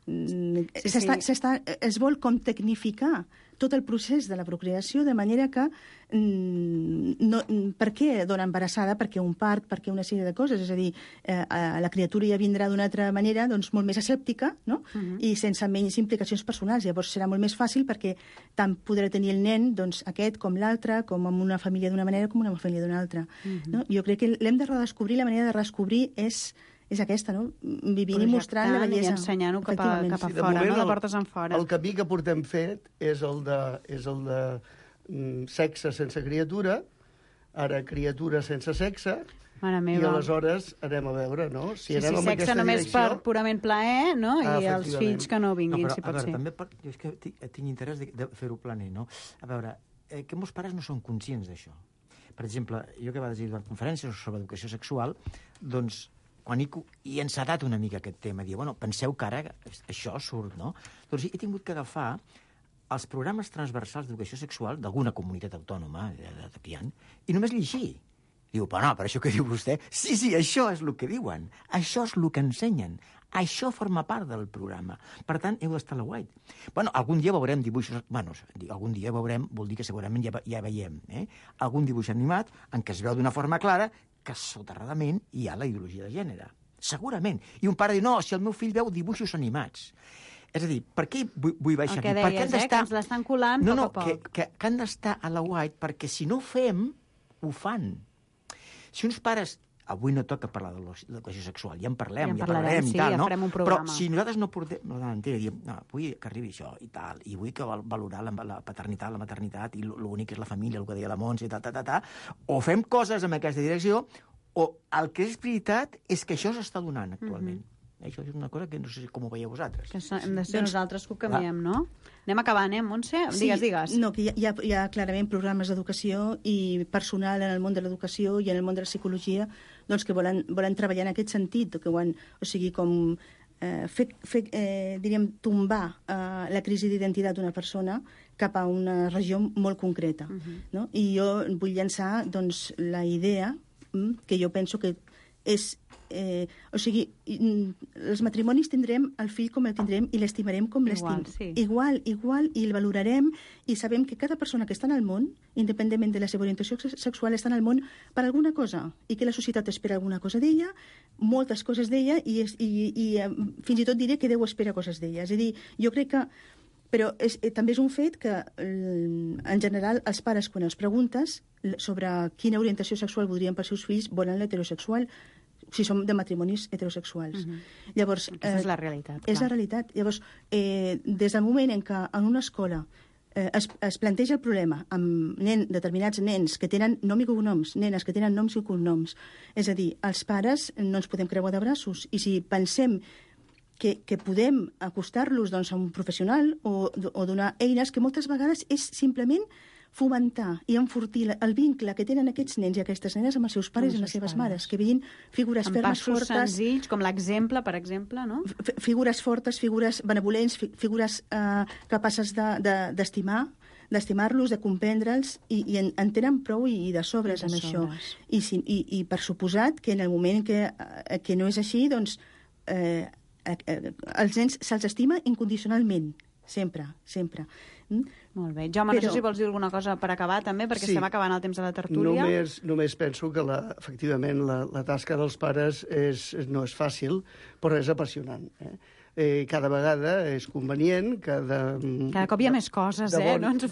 [SPEAKER 7] Es vol com tecnificar tot el procés de la procreació de manera que per què dona embarassada? Perquè un part, perquè una sèrie de coses, és a dir, la criatura ja vindrà d'una altra manera, doncs molt més asèptica, no? I sense menys implicacions personals. Llavors serà molt més fàcil perquè tant podrà tenir el nen, doncs, aquest com l'altre, com amb una família d'una manera com una família d'una altra. No? Jo crec que l'hem de redescobrir, la manera de redescobrir és aquesta, no? Vivint i mostrant la bellesa.
[SPEAKER 6] I ensenyant-ho cap a fora, no? De portes en fora.
[SPEAKER 9] El camí que portem fet és el de sexe sense criatura, ara criatura sense sexe, i aleshores anem a veure, no? Si anem en
[SPEAKER 6] sexe només per purament plaer, no? I els fills que no vinguin, si pot ser.
[SPEAKER 8] També jo és que tinc interès de fer-ho planer, no? A veure, que molts pares no són conscients d'això. Per exemple, jo que vaig dir a conferències sobre educació sexual, doncs quan he encetat una mica aquest tema, dir, bueno, penseu que ara això surt, no? Doncs he tingut que agafar els programes transversals d'educació sexual d'alguna comunitat autònoma que hi ha, i només llegir. Diu, però no, per això que diu vostè, sí, això és el que diuen, això és el que ensenyen, això forma part del programa. Per tant, heu d'estar a la guait. Bueno, algun dia veurem dibuixos... Bueno, algun dia veurem, vol dir que segurament ja veiem, algun dibuix animat en què es veu d'una forma clara que soterradament hi ha la ideologia de gènere. Segurament. I un pare diu, no, si el meu fill veu dibuixos animats. És a dir, per què vull baixar aquí?
[SPEAKER 6] El que deies, que ens l'estan colant poc a poc.
[SPEAKER 8] Que han d'estar a la guait, perquè si no ho fem, ho fan. Si uns pares... Avui no toca parlar de l'educació sexual, ja en parlarem i tal, no? Però si nosaltres no portem... Diem, no, vull que arribi això i tal, i vull que valorar la paternitat, la maternitat, i l'únic és la família, el que deia la Montse, o fem coses en aquesta direcció, o el que és veritat és que això s'està donant actualment. Això és una cosa que no sé com ho veieu vosaltres.
[SPEAKER 6] Que hem de ser nosaltres que ho canviem, no? Anem acabant, Montse? Digues.
[SPEAKER 7] No, que hi ha clarament programes d'educació i personal en el món de l'educació i en el món de la psicologia doncs que volen treballar en aquest sentit, que o sigui, com diríem, tombar la crisi d'identitat d'una persona cap a una regió molt concreta. No? I jo vull llançar doncs, la idea que jo penso que és... o sigui, els matrimonis tindrem el fill com el tindrem i l'estimarem com l'estim. Igual, i el valorarem i sabem que cada persona que està en el món, independentment de la seva orientació sexual, està en el món per alguna cosa i que la societat espera alguna cosa d'ella, moltes coses d'ella i fins i tot diré que Déu espera coses d'ella. És a dir, jo crec que... Però també és un fet que, en general, els pares, quan els preguntes sobre quina orientació sexual voldrien pels seus fills, volen l'heterosexual, si som de matrimonis heterosexuals. Llavors,
[SPEAKER 6] aquesta és la realitat.
[SPEAKER 7] És la realitat. Llavors, des del moment en què en una escola es planteja el problema amb determinats nens que tenen nom i cognoms, nenes que tenen noms i cognoms, és a dir, els pares no ens podem creuar de braços, i si pensem que podem acostar-los doncs, a un professional o donar eines que moltes vegades és simplement fomentar i enfortir el vincle que tenen aquests nens i aquestes nenes amb els seus pares i les seves mares, que vegin figures fermes, fortes...
[SPEAKER 6] Amb passos senzills, com l'exemple, per exemple, no?
[SPEAKER 7] Figures fortes, figures benevolents, figures capaces d'estimar-los, de comprendre'ls, i en tenen prou i de sobres amb això. I per suposat que en el moment que no és així, doncs els nens se'ls estima incondicionalment, sempre.
[SPEAKER 6] Molt bé. Jaume, no sé si vols dir alguna cosa per acabar, també, perquè estem acabant el temps de la tertúlia.
[SPEAKER 9] Només penso que, efectivament, la tasca dels pares no és fàcil, però és apassionant. Cada vegada és convenient, cada
[SPEAKER 6] cop hi ha més coses, no? Ens ho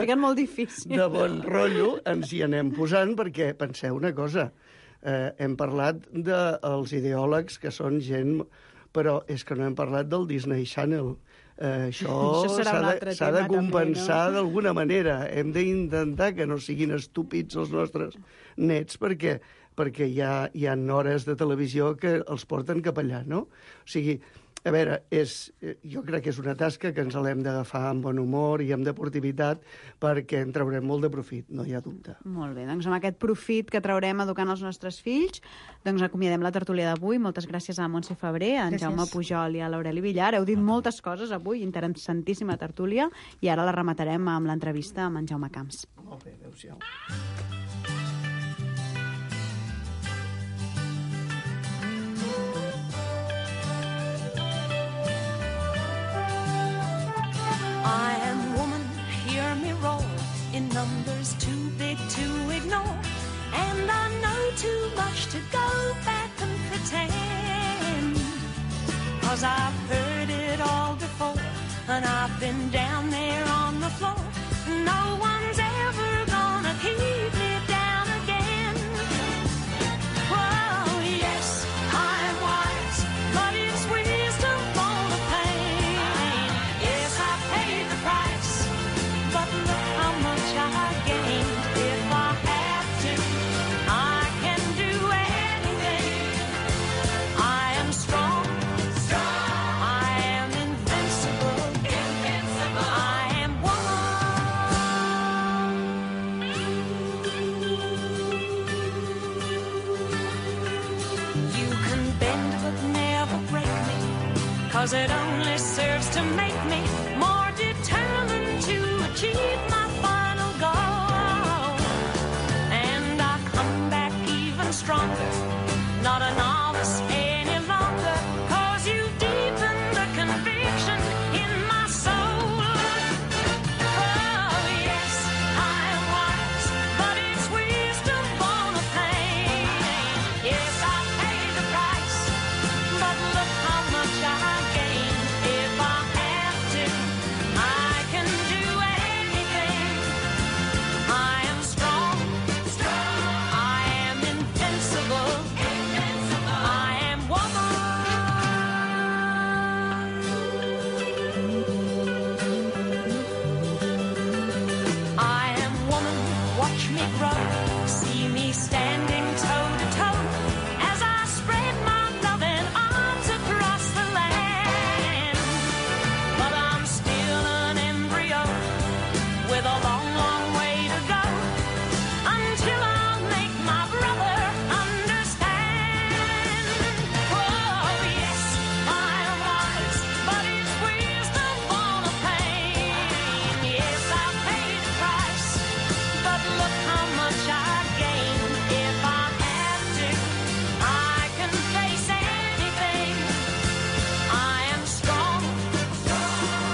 [SPEAKER 6] fiquem molt difícil.
[SPEAKER 9] De bon rotllo ens hi anem posant, perquè penseu una cosa, hem parlat dels ideòlegs que són gent, però és que no hem parlat del Disney Channel. Això s'ha de compensar d'alguna manera. Hem d'intentar que no siguin estúpids els nostres nets, perquè hi ha hores de televisió que els porten cap allà, no? O sigui, a veure, jo crec que és una tasca que ens l'hem d'agafar amb bon humor i amb deportivitat, perquè en traurem molt de profit, no hi ha dubte.
[SPEAKER 6] Molt bé, doncs amb aquest profit que traurem educant els nostres fills, doncs acomiadem la tertúlia d'avui. Moltes gràcies a Montse Febrer, a en Jaume Pujol i a l'Aureli Villar. Heu dit moltes coses avui, interessantíssima tertúlia, i ara la rematarem amb l'entrevista amb en Jaume Camps.
[SPEAKER 9] Molt bé, adéu-siau.
[SPEAKER 10] I am woman, hear me roar, in numbers too big to ignore, and I know too much to go back and pretend, 'cause I've heard it all before, and I've been down there on the floor. No one's ever gonna keep me down again. Oh yes, I'm wise, but it's wisdom for the pain. Yes, I paid the price, but look how much I gained. If I have to, I can do anything. I am strong, I am invincible, I am woman. You can bend but never break me, 'cause it only serves to make me more determined to achieve my final goal. And I come back even stronger, not a novice any longer, 'cause you've deepened the conviction in my soul. Oh yes, I am wise, but it's wisdom born of pain. Yes, I paid the price, but look how much I gained. If I have to, I can do anything. I am strong, I am invincible, I am woman. I am woman, watch me grow, see me standing toe to toe, as I spread my loving arms across the land. But I'm still an embryo, with a long, long way to go, until I'll make my brother understand. Oh yes, I am wise, but it's wisdom born of pain. Yes, I paid the price, but look how much I gained. If I have to, I can face anything. I am strong,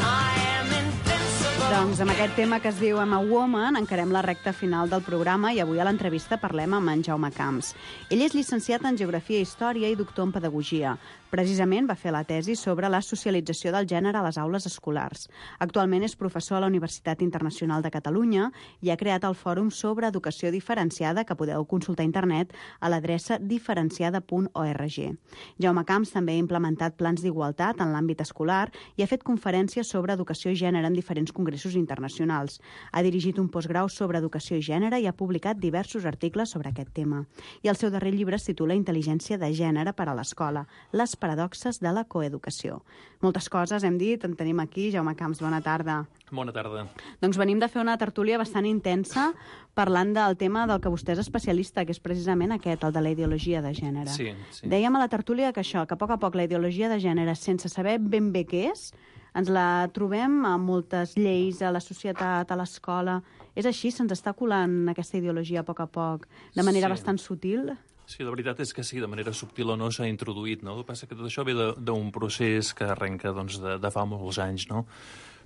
[SPEAKER 10] I am invincible.
[SPEAKER 6] Doncs amb aquest tema que es diu I'm a Woman encarem la recta final del programa i avui a l'entrevista parlem amb en Jaume Camps. Ell és llicenciat en Geografia i Història i doctor en Pedagogia. Precisament va fer la tesi sobre la socialització del gènere a les aules escolars. Actualment és professor a la Universitat Internacional de Catalunya i ha creat el fòrum sobre educació diferenciada que podeu consultar a internet a l'adreça diferenciada.org. Jaume Camps també ha implementat plans d'igualtat en l'àmbit escolar i ha fet conferències sobre educació i gènere en diferents congressos internacionals. Ha dirigit un postgrau sobre educació i gènere i ha publicat diversos articles sobre aquest tema. I el seu darrer llibre es titula Intel·ligència de gènere per a l'escola, les paradoxes de la coeducació. Moltes coses hem dit, en tenim aquí. Jaume Camps, bona tarda.
[SPEAKER 11] Bona tarda.
[SPEAKER 6] Doncs venim de fer una tertúlia bastant intensa parlant del tema del que vostè és especialista, que és precisament aquest, el de la ideologia de gènere.
[SPEAKER 11] Sí.
[SPEAKER 6] Dèiem a la tertúlia que això, que a poc la ideologia de gènere, sense saber ben bé què és, ens la trobem a moltes lleis, a la societat, a l'escola. És així? Se'ns està colant aquesta ideologia a poc, de manera bastant sutil?
[SPEAKER 11] Sí, la veritat és que sí, de manera subtil o no s'ha introduït, no? El que passa que tot això ve d'un procés que arrenca doncs, de fa molts anys, no?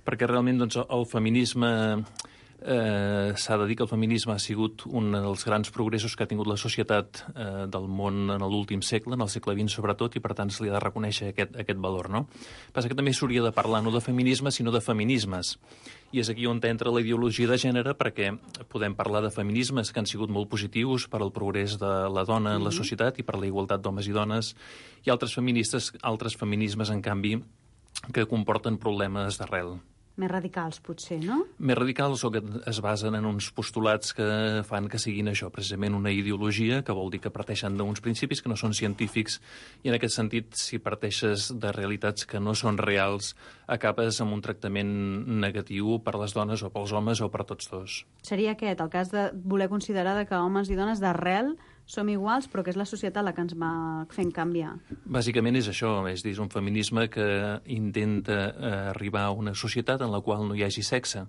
[SPEAKER 11] Perquè realment doncs, el feminisme... s'ha de dir que el feminisme ha sigut un dels grans progressos que ha tingut la societat del món en l'últim segle, en el segle XX sobretot, i per tant se li ha de reconèixer aquest valor, no? Passa que també s'hauria de parlar no de feminisme, sinó de feminismes. I és aquí on entra la ideologia de gènere, perquè podem parlar de feminismes que han sigut molt positius per al progrés de la dona en la societat i per la igualtat d'homes i dones, i altres feminismes, en canvi, que comporten problemes d'arrel.
[SPEAKER 6] Més radicals, potser, no?
[SPEAKER 11] Més radicals o que es basen en uns postulats que fan que siguin això, precisament una ideologia, que vol dir que parteixen d'uns principis que no són científics, i en aquest sentit, si parteixes de realitats que no són reals, acabes amb un tractament negatiu per les dones o pels homes o per tots dos.
[SPEAKER 6] Seria aquest, el cas de voler considerar que homes i dones d'arrel som iguals, però que és la societat la que ens va fent canviar.
[SPEAKER 11] Bàsicament és això, és dir, un feminisme que intenta arribar a una societat en la qual no hi hagi sexe,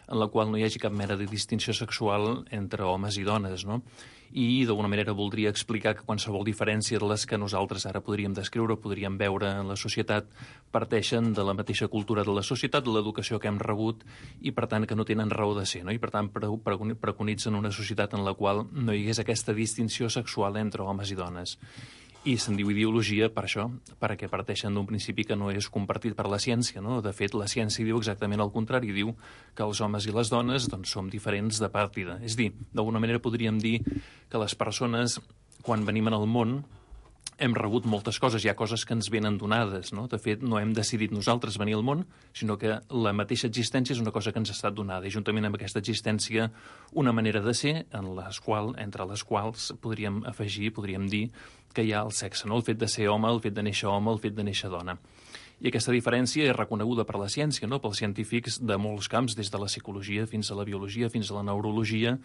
[SPEAKER 11] en la qual no hi hagi cap mena de distinció sexual entre homes i dones, no? I d'alguna manera voldria explicar que qualsevol diferència de les que nosaltres ara podríem descriure o podríem veure en la societat parteixen de la mateixa cultura de la societat, de l'educació que hem rebut i per tant que no tenen raó de ser, no? I per tant preconitzen una societat en la qual no hi hagués aquesta distinció sexual entre homes i dones. I se'n diu ideologia per això, perquè parteixen d'un principi que no és compartit per la ciència, no? De fet, la ciència diu exactament el contrari, diu que els homes i les dones doncs, som diferents de partida. És dir, d'alguna manera podríem dir que les persones, quan venim al món, hem rebut moltes coses, hi ha coses que ens venen donades, no? De fet, no hem decidit nosaltres venir al món, sinó que la mateixa existència és una cosa que ens ha estat donada, i juntament amb aquesta existència una manera de ser entre les quals podríem afegir, podríem dir que hi ha el sexe, no? El fet de ser home, el fet de néixer home, el fet de néixer dona. I aquesta diferència és reconeguda per la ciència, no? Pels científics de molts camps, des de la psicologia fins a la biologia, fins a la neurologia.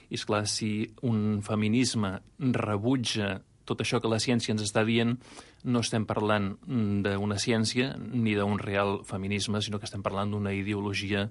[SPEAKER 11] I esclar, si un feminisme rebutja tot això que la ciència ens està dient, no estem parlant d'una ciència ni d'un real feminisme, sinó que estem parlant d'una ideologia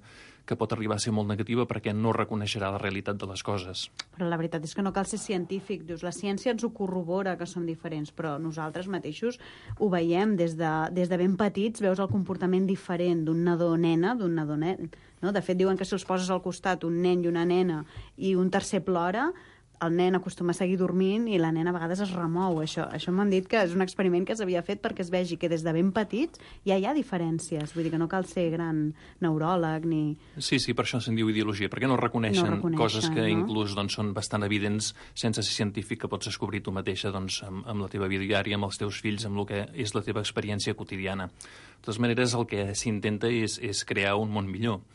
[SPEAKER 11] que pot arribar a ser molt negativa perquè no reconeixerà la realitat de les coses.
[SPEAKER 6] Però la veritat és que no cal ser científic. Dius, la ciència ens ho corrobora que som diferents, però nosaltres mateixos ho veiem des de ben petits, veus el comportament diferent d'un nadó o nena, d'un nadó nen. No? De fet, diuen que si els poses al costat un nen i una nena i un tercer plora, el nen acostuma a seguir dormint i la nena a vegades es remou. Això m'han dit que és un experiment que s'havia fet perquè es vegi que des de ben petits ja hi ha diferències. Vull dir que no cal ser gran neuròleg ni...
[SPEAKER 11] Sí, per això se'n diu ideologia, perquè no reconeixen coses que inclús doncs, són bastant evidents sense ser científic, que pots descobrir tu mateixa doncs, amb la teva vida diària, amb els teus fills, amb el que és la teva experiència quotidiana. De totes maneres, el que s'intenta és crear un món millor.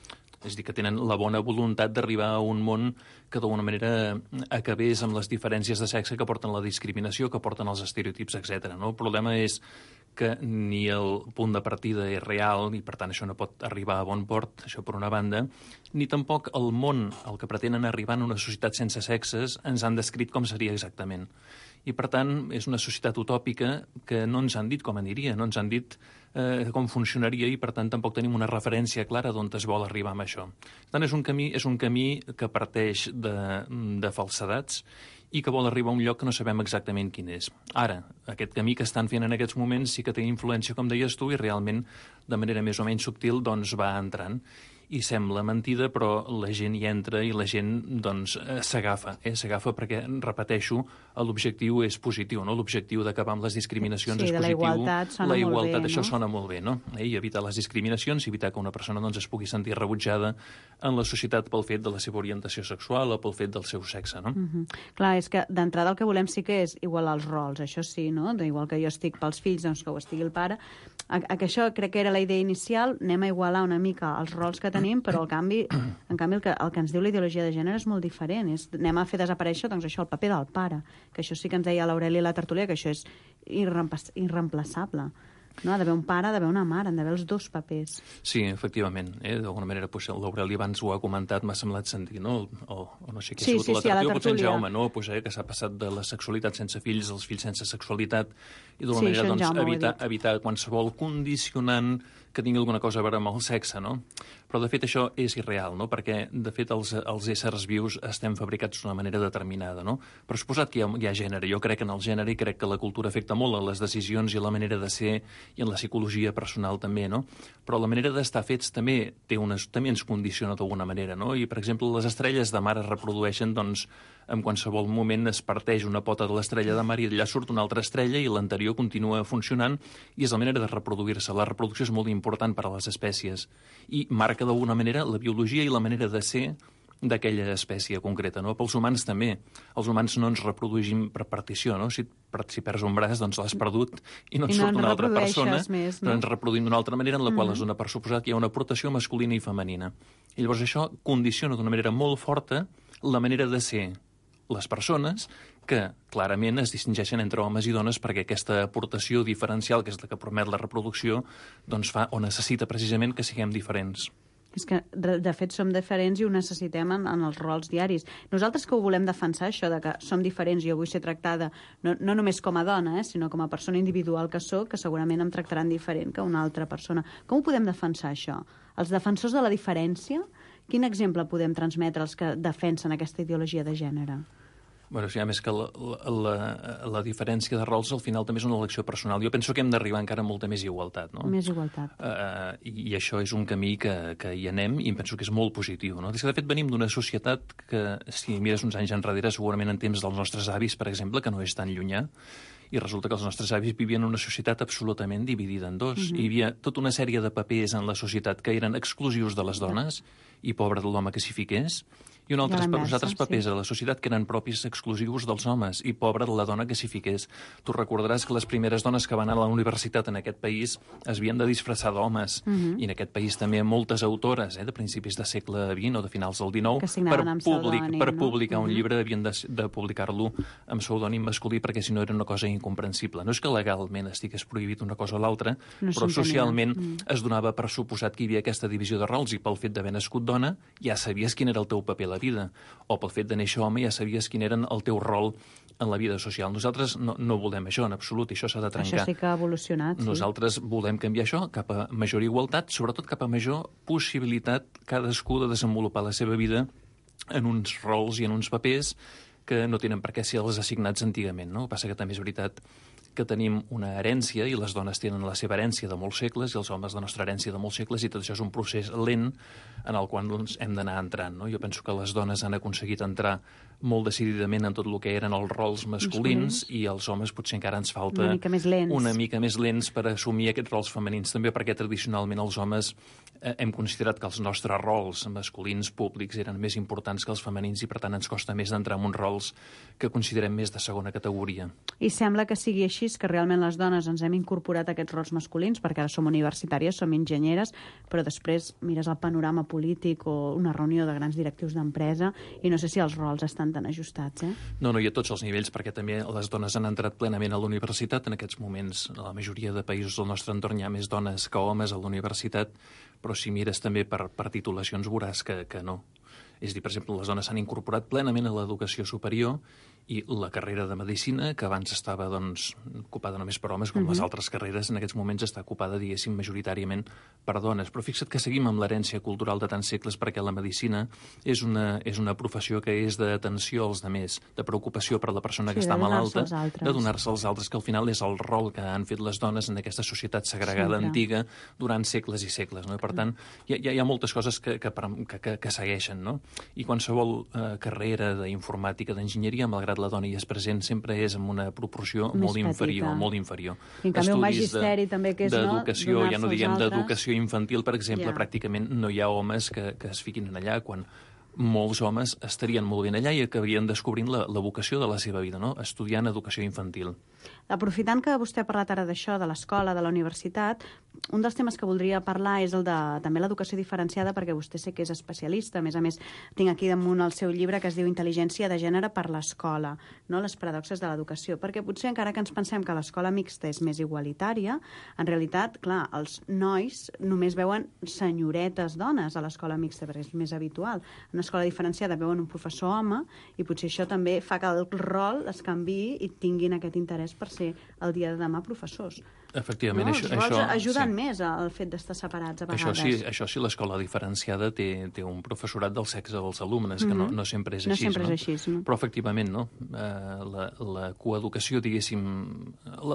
[SPEAKER 11] És a dir, que tenen la bona voluntat d'arribar a un món que d'alguna manera acabés amb les diferències de sexe que porten la discriminació, que porten els estereotips, etc. No? El problema és que ni el punt de partida és real i, per tant, això no pot arribar a bon port, això per una banda, ni tampoc el món al que pretenen arribar en una societat sense sexes ens han descrit com seria exactament. I, per tant, és una societat utòpica que no ens han dit com aniria, no ens han dit com funcionaria i, per tant, tampoc tenim una referència clara d'on es vol arribar amb això. Per tant, és un camí que parteix de falsedats i que vol arribar a un lloc que no sabem exactament quin és. Ara, aquest camí que estan fent en aquests moments sí que té influència, com deies tu, i realment, de manera més o menys subtil, doncs va entrant. I sembla mentida, però la gent hi entra i la gent doncs, s'agafa. S'agafa perquè, repeteixo, l'objectiu és positiu, no? L'objectiu d'acabar amb les discriminacions és positiu.
[SPEAKER 6] La igualtat sona molt bé,
[SPEAKER 11] això sona molt bé, no? I evitar les discriminacions, evitar que una persona doncs, es pugui sentir rebutjada en la societat pel fet de la seva orientació sexual o pel fet del seu sexe, no?
[SPEAKER 6] Clar, és que d'entrada el que volem sí que és igualar els rols, això sí, no? Igual que jo estic pels fills, doncs que ho estigui el pare. Que això crec que era la idea inicial, anem a igualar una mica els rols que tenim, però en canvi el que ens diu la ideologia de gènere és molt diferent. Anem a fer desaparèixer doncs, això, el paper del pare, que això sí que ens deia l'Aureli a la tertúlia, que això és irreemplaçable. No? Ha d'haver un pare, ha d'haver una mare, han d'haver els dos papers.
[SPEAKER 11] Sí, efectivament. D'alguna manera, l'Aureli abans ho ha comentat, m'ha semblat sentir, no? O no sé què ha sigut a la tertúlia, potser en Jaume, no? Que s'ha passat de la sexualitat sense fills als fills sense sexualitat i d'alguna manera doncs, evitar qualsevol condicionant que tingui alguna cosa a veure amb el sexe, no? Però Però, de fet, això és irreal, no? Perquè, de fet, els éssers vius estem fabricats d'una manera determinada, no? Però suposat que hi ha gènere. Jo crec en el gènere i crec que la cultura afecta molt a les decisions i a la manera de ser i en la psicologia personal també, no? Però la manera d'estar fets també ens condiciona d'alguna manera, no? I, per exemple, les estrelles de mar es reprodueixen, doncs, en qualsevol moment es parteix una pota de l'estrella de mar i allà surt una altra estrella i l'anterior continua funcionant i és la manera de reproduir-se. La reproducció és molt important per a les espècies i marca d'alguna manera la biologia i la manera de ser d'aquella espècie concreta, no? Pels humans també. Els humans no ens reproduïm per partició, no? Si perds un braç, doncs l'has perdut i no et surt una altra persona,
[SPEAKER 6] més,
[SPEAKER 11] no? Però ens reproduïm d'una altra manera en la qual es dona per suposat que hi ha una aportació masculina i femenina. I llavors això condiciona d'una manera molt forta la manera de ser les persones que clarament es distingeixen entre homes i dones perquè aquesta aportació diferencial, que és la que permet la reproducció, doncs fa o necessita precisament que siguem diferents.
[SPEAKER 6] És que, de fet, som diferents i ho necessitem en els rols diaris. Nosaltres que ho volem defensar, això de que som diferents i jo vull ser tractada no només com a dona, sinó com a persona individual que sóc, que segurament em tractaran diferent que una altra persona. Com ho podem defensar, això? Els defensors de la diferència, quin exemple podem transmetre als que defensen aquesta ideologia de gènere?
[SPEAKER 11] Bueno, sí, a més que la diferència de rols al final també és una elecció personal. Jo penso que hem d'arribar encara a molta més igualtat, no?
[SPEAKER 6] Més igualtat.
[SPEAKER 11] I això és un camí que hi anem i penso que és molt positiu, no? De fet, venim d'una societat que, si mires uns anys enrere, segurament en temps dels nostres avis, per exemple, que no és tan llunyà, i resulta que els nostres avis vivien en una societat absolutament dividida en dos. Hi havia tota una sèrie de papers en la societat que eren exclusius de les dones i pobre de l'home que s'hi fiqués, i uns altres papers a la societat que eren propis exclusius dels homes i pobra de la dona que s'hi fiqués. Tu recordaràs que les primeres dones que van anar a la universitat en aquest país es havien de disfressar d'homes, i en aquest país també moltes autores de principis de segle XX o de finals del XIX per publicar un llibre havien de publicar-lo amb pseudònim masculí perquè si no era una cosa incomprensible. No és que legalment estigués prohibit una cosa o l'altra, però socialment es donava per suposat que hi havia aquesta divisió de rols i pel fet d'haver nascut dona ja sabies quin era el teu paper a la vida, o pel fet de néixer home ja sabies quin era el teu rol en la vida social. Nosaltres no volem això en absolut, i això s'ha de trencar.
[SPEAKER 6] Això sí que ha evolucionat, sí.
[SPEAKER 11] Nosaltres volem canviar això cap a major igualtat, sobretot cap a major possibilitat cadascú de desenvolupar la seva vida en uns rols i en uns papers que no tenen per què ser els assignats antigament, no? El que passa que també és veritat que tenim una herència i les dones tenen la seva herència de molts segles i els homes la nostra herència de molts segles i tot això és un procés lent en el qual doncs, hem d'anar entrant, no? Jo penso que les dones han aconseguit entrar molt decididament en tot el que eren els rols masculins i els homes potser encara ens falta una mica més lents per assumir aquests rols femenins també perquè tradicionalment els homes hem considerat que els nostres rols masculins públics eren més importants que els femenins i per tant ens costa més d'entrar en uns rols que considerem més de segona categoria.
[SPEAKER 6] I sembla que sigui així, que realment les dones ens hem incorporat a aquests rols masculins perquè ara som universitàries, som enginyeres, però després mires el panorama polític o una reunió de grans directius d'empresa i no sé si els rols estan tan ajustats,
[SPEAKER 11] No, i a tots els nivells, perquè també les dones han entrat plenament a la universitat. En aquests moments, a la majoria de països del nostre entorn hi ha més dones que homes a la universitat, però si mires també per titulacions veuràs que no. És a dir, per exemple, les dones s'han incorporat plenament a l'educació superior i la carrera de medicina, que abans estava ocupada només per homes, com les altres carreres, en aquests moments està ocupada, diguéssim, majoritàriament per dones. Però fixa't que seguim amb l'herència cultural de tants segles perquè la medicina és una professió que és d'atenció als demés, de preocupació per la persona que està malalta, de donar-se als altres, que al final és el rol que han fet les dones en aquesta societat segregada antiga durant segles i segles. No? Per tant, hi ha moltes coses que segueixen, no? I qualsevol carrera d'informàtica, d'enginyeria, malgrat la dona hi és present, sempre és en una proporció molt inferior.
[SPEAKER 6] I en canvi un magisteri també que és
[SPEAKER 11] d'educació, ja no diguem d'educació infantil, per exemple, pràcticament no hi ha homes que es fiquin allà quan molts homes estarien molt ben allà i acabarien descobrint la vocació de la seva vida, no? Estudiant educació infantil.
[SPEAKER 6] Aprofitant que vostè ha parlat ara d'això, de l'escola, de la universitat, un dels temes que voldria parlar és el de també l'educació diferenciada, perquè vostè sé que és especialista. A més, tinc aquí damunt el seu llibre que es diu Intel·ligència de gènere per l'escola, no? Les paradoxes de l'educació. Perquè potser encara que ens pensem que l'escola mixta és més igualitària, en realitat, clar, els nois només veuen senyoretes dones a l'escola mixta, perquè és més habitual. En una escola diferenciada veuen un professor home i potser això també fa que el rol es canviï i tinguin aquest interès per ser el dia de demà professors.
[SPEAKER 11] Efectivament,
[SPEAKER 6] no? Els rols ajuden més al fet d'estar separats a vegades.
[SPEAKER 11] Això sí, l'escola diferenciada té un professorat del sexe dels alumnes, que no sempre és així.
[SPEAKER 6] No sempre és així, no?
[SPEAKER 11] Però, efectivament, no? La coeducació, diguéssim...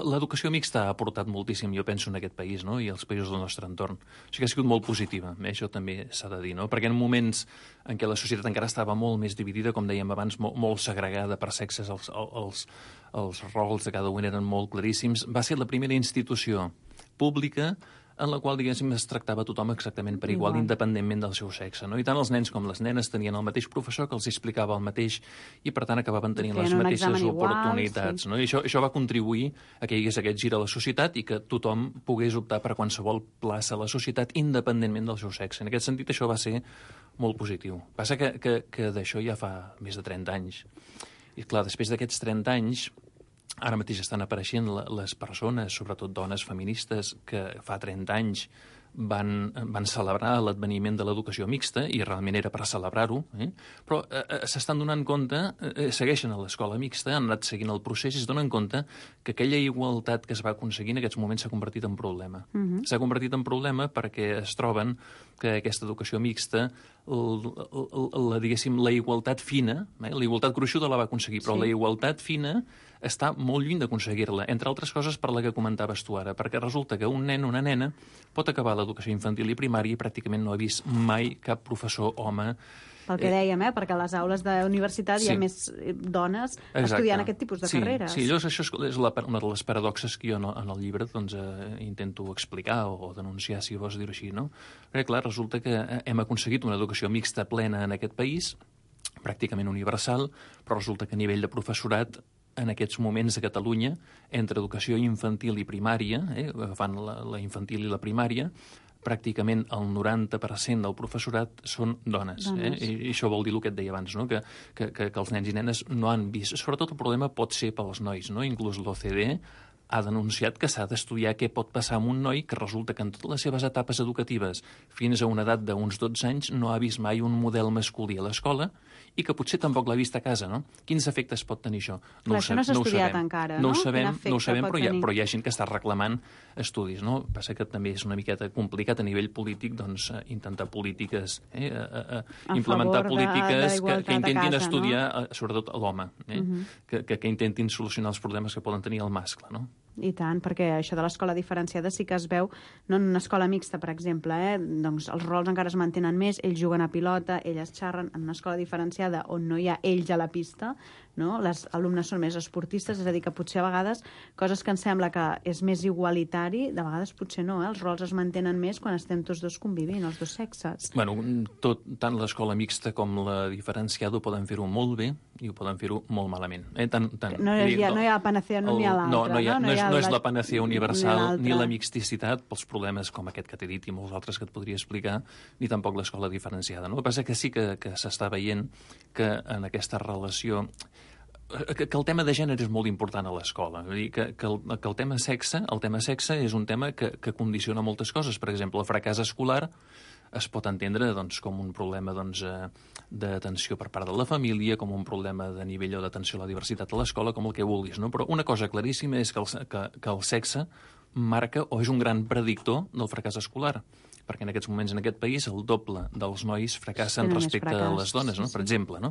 [SPEAKER 11] L'educació mixta ha aportat moltíssim, jo penso, en aquest país, no? I als països del nostre entorn. O sigui que ha sigut molt positiva, això també s'ha de dir, no? Perquè en moments en què la societat encara estava molt més dividida, com dèiem abans, molt segregada per sexes, els rols de cada un eren molt claríssims, va ser la primera institució pública en la qual, diguéssim, es tractava tothom exactament per igual, independentment del seu sexe, no? I tant els nens com les nenes tenien el mateix professor que els explicava el mateix i, per tant, acabaven tenint les mateixes oportunitats, no? I això va contribuir a que hi hagués aquest gir a la societat i que tothom pogués optar per qualsevol plaça a la societat independentment del seu sexe. En aquest sentit, això va ser molt positiu. Passa que d'això ja fa més de 30 anys. I, clar, després d'aquests 30 anys, ara mateix estan apareixent les persones, sobretot dones feministes, que fa 30 anys van celebrar l'adveniment de l'educació mixta, i realment era per celebrar-ho, però s'estan donant compte, segueixen a l'escola mixta, han anat seguint el procés i es donen compte que aquella igualtat que es va aconseguir en aquests moments s'ha convertit en problema. S'ha convertit en problema perquè es troben que aquesta educació mixta, diguéssim, la igualtat fina, la igualtat gruixuda la va aconseguir, però la igualtat fina està molt lluny d'aconseguir-la, entre altres coses per la que comentaves tu ara, perquè resulta que un nen o una nena pot acabar l'educació infantil i primària i pràcticament no ha vist mai cap professor home.
[SPEAKER 6] Pel que dèiem, perquè a les aules d'universitat hi ha més dones estudiant aquest tipus de carreres.
[SPEAKER 11] Sí, això és una de les paradoxes que jo en el llibre intento explicar o denunciar, si vols dir-ho així, no? Perquè, clar, resulta que hem aconseguit una educació mixta plena en aquest país, pràcticament universal, però resulta que a nivell de professorat en aquests moments a Catalunya, entre educació infantil i primària, agafant la infantil i la primària, pràcticament el 90% del professorat són dones. I això vol dir el que et deia abans, no? que els nens i nenes no han vist. Sobretot el problema pot ser pels nois, no? Inclús l'OCDE ha denunciat que s'ha d'estudiar què pot passar amb un noi que resulta que en totes les seves etapes educatives, fins a una edat d'uns 12 anys, no ha vist mai un model masculí a l'escola i que potser tampoc l'ha vist a casa, no? Quins efectes pot tenir això?
[SPEAKER 6] Això no s'ha estudiat encara, no?
[SPEAKER 11] No ho sabem, però hi ha gent que està reclamant estudis, no? Passa que també és una miqueta complicat a nivell polític, doncs, intentar polítiques, implementar polítiques que intentin estudiar, sobretot l'home, que intentin solucionar els problemes que poden tenir el mascle, no?
[SPEAKER 6] I tant, perquè això de l'escola diferenciada sí que es veu, no en una escola mixta, per exemple, doncs els rols encara es mantenen més, ells juguen a pilota, elles xerren. En una escola diferenciada on no hi ha ells a la pista, no? Les alumnes són més esportistes, és a dir, que potser a vegades coses que ens sembla que és més igualitari, de vegades potser no, els rols es mantenen més quan estem tots dos convivint, els dos sexes.
[SPEAKER 11] Bueno, tant l'escola mixta com la diferenciada ho poden fer-ho molt bé i ho poden fer-ho molt malament.
[SPEAKER 6] No hi ha panacea, no n'hi ha l'altra.
[SPEAKER 11] No és la panacea universal ni la mixticitat pels problemes com aquest que t'he dit i molts altres que et podria explicar, ni tampoc l'escola diferenciada. No? El que passa que sí que s'està veient que en aquesta relació que el tema de gènere és molt important a l'escola. Vull dir que el tema sexe és un tema que condiciona moltes coses. Per exemple, el fracàs escolar es pot entendre com un problema d'atenció per part de la família, com un problema de nivell o d'atenció a la diversitat a l'escola, com el que vulguis, no? Però una cosa claríssima és que el sexe marca o és un gran predictor del fracàs escolar, perquè en aquests moments en aquest país el doble dels nois fracassen respecte a les dones, no? Per exemple, no?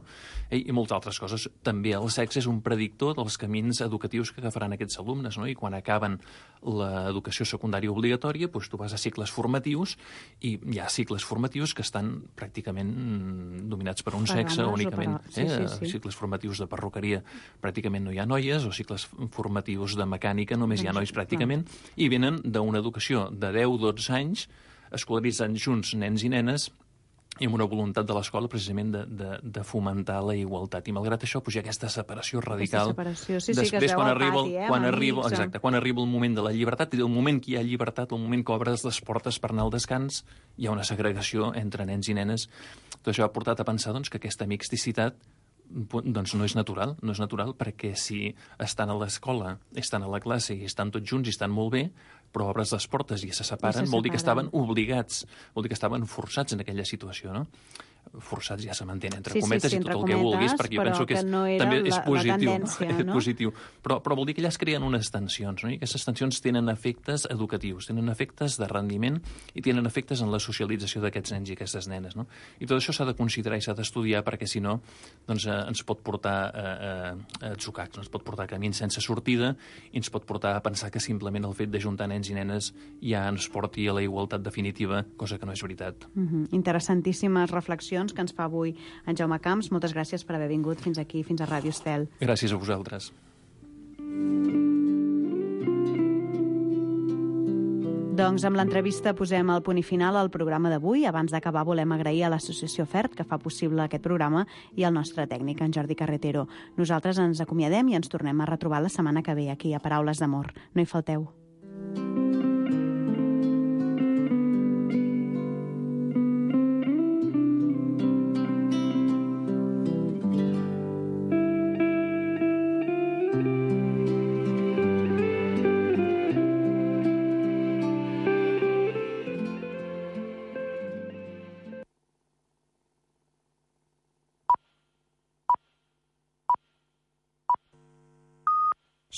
[SPEAKER 11] I moltes altres coses. També el sexe és un predictor dels camins educatius que agafaran aquests alumnes, no? I quan acaben l'educació secundària obligatòria, doncs tu vas a cicles formatius i hi ha cicles formatius que estan pràcticament dominats per un sexe únicament. Cicles formatius de perruqueria pràcticament no hi ha noies, o cicles formatius de mecànica només hi ha nois pràcticament, i venen d'una educació de 10-12 anys escolaritzant junts nens i nenes i amb una voluntat de l'escola precisament de fomentar la igualtat. I malgrat això, hi ha aquesta separació radical.
[SPEAKER 6] Després, quan
[SPEAKER 11] arriba el moment de la llibertat, i el moment que hi ha llibertat, el moment que obres les portes per anar al descans, hi ha una segregació entre nens i nenes. Tot això ha portat a pensar que aquesta mixticitat no és natural, perquè si estan a l'escola, estan a la classe i estan tots junts i estan molt bé, però obres les portes i se separen, vol dir que estaven obligats, vol dir que estaven forçats en aquella situació, no? forçats ja se m'entén, entre
[SPEAKER 6] Sí,
[SPEAKER 11] cometes
[SPEAKER 6] sí,
[SPEAKER 11] i
[SPEAKER 6] entre
[SPEAKER 11] tot el que vulguis, perquè jo
[SPEAKER 6] però
[SPEAKER 11] penso que
[SPEAKER 6] que no era
[SPEAKER 11] també és
[SPEAKER 6] la
[SPEAKER 11] positiu.
[SPEAKER 6] tendència, no?
[SPEAKER 11] Positiu. Però vol dir que allà es creen unes tensions, no? I aquestes tensions tenen efectes educatius, tenen efectes de rendiment i tenen efectes en la socialització d'aquests nens i aquestes nenes, no? I tot això s'ha de considerar i s'ha d'estudiar perquè, si no, doncs, ens pot portar a atzucacs, ens pot portar a camins sense sortida i ens pot portar a pensar que simplement el fet d'ajuntar nens i nenes ja ens porti a la igualtat definitiva, cosa que no és veritat.
[SPEAKER 6] Interessantíssimes reflexions que ens fa avui en Jaume Camps. Moltes gràcies per haver vingut fins aquí, fins a Ràdio Estel.
[SPEAKER 11] Gràcies a vosaltres.
[SPEAKER 6] Doncs amb l'entrevista posem el punt i final al programa d'avui. Abans d'acabar volem agrair a l'Associació FERT, que fa possible aquest programa, i al nostre tècnic, en Jordi Carretero. Nosaltres ens acomiadem i ens tornem a retrobar la setmana que ve aquí a Paraules d'Amor. No hi falteu.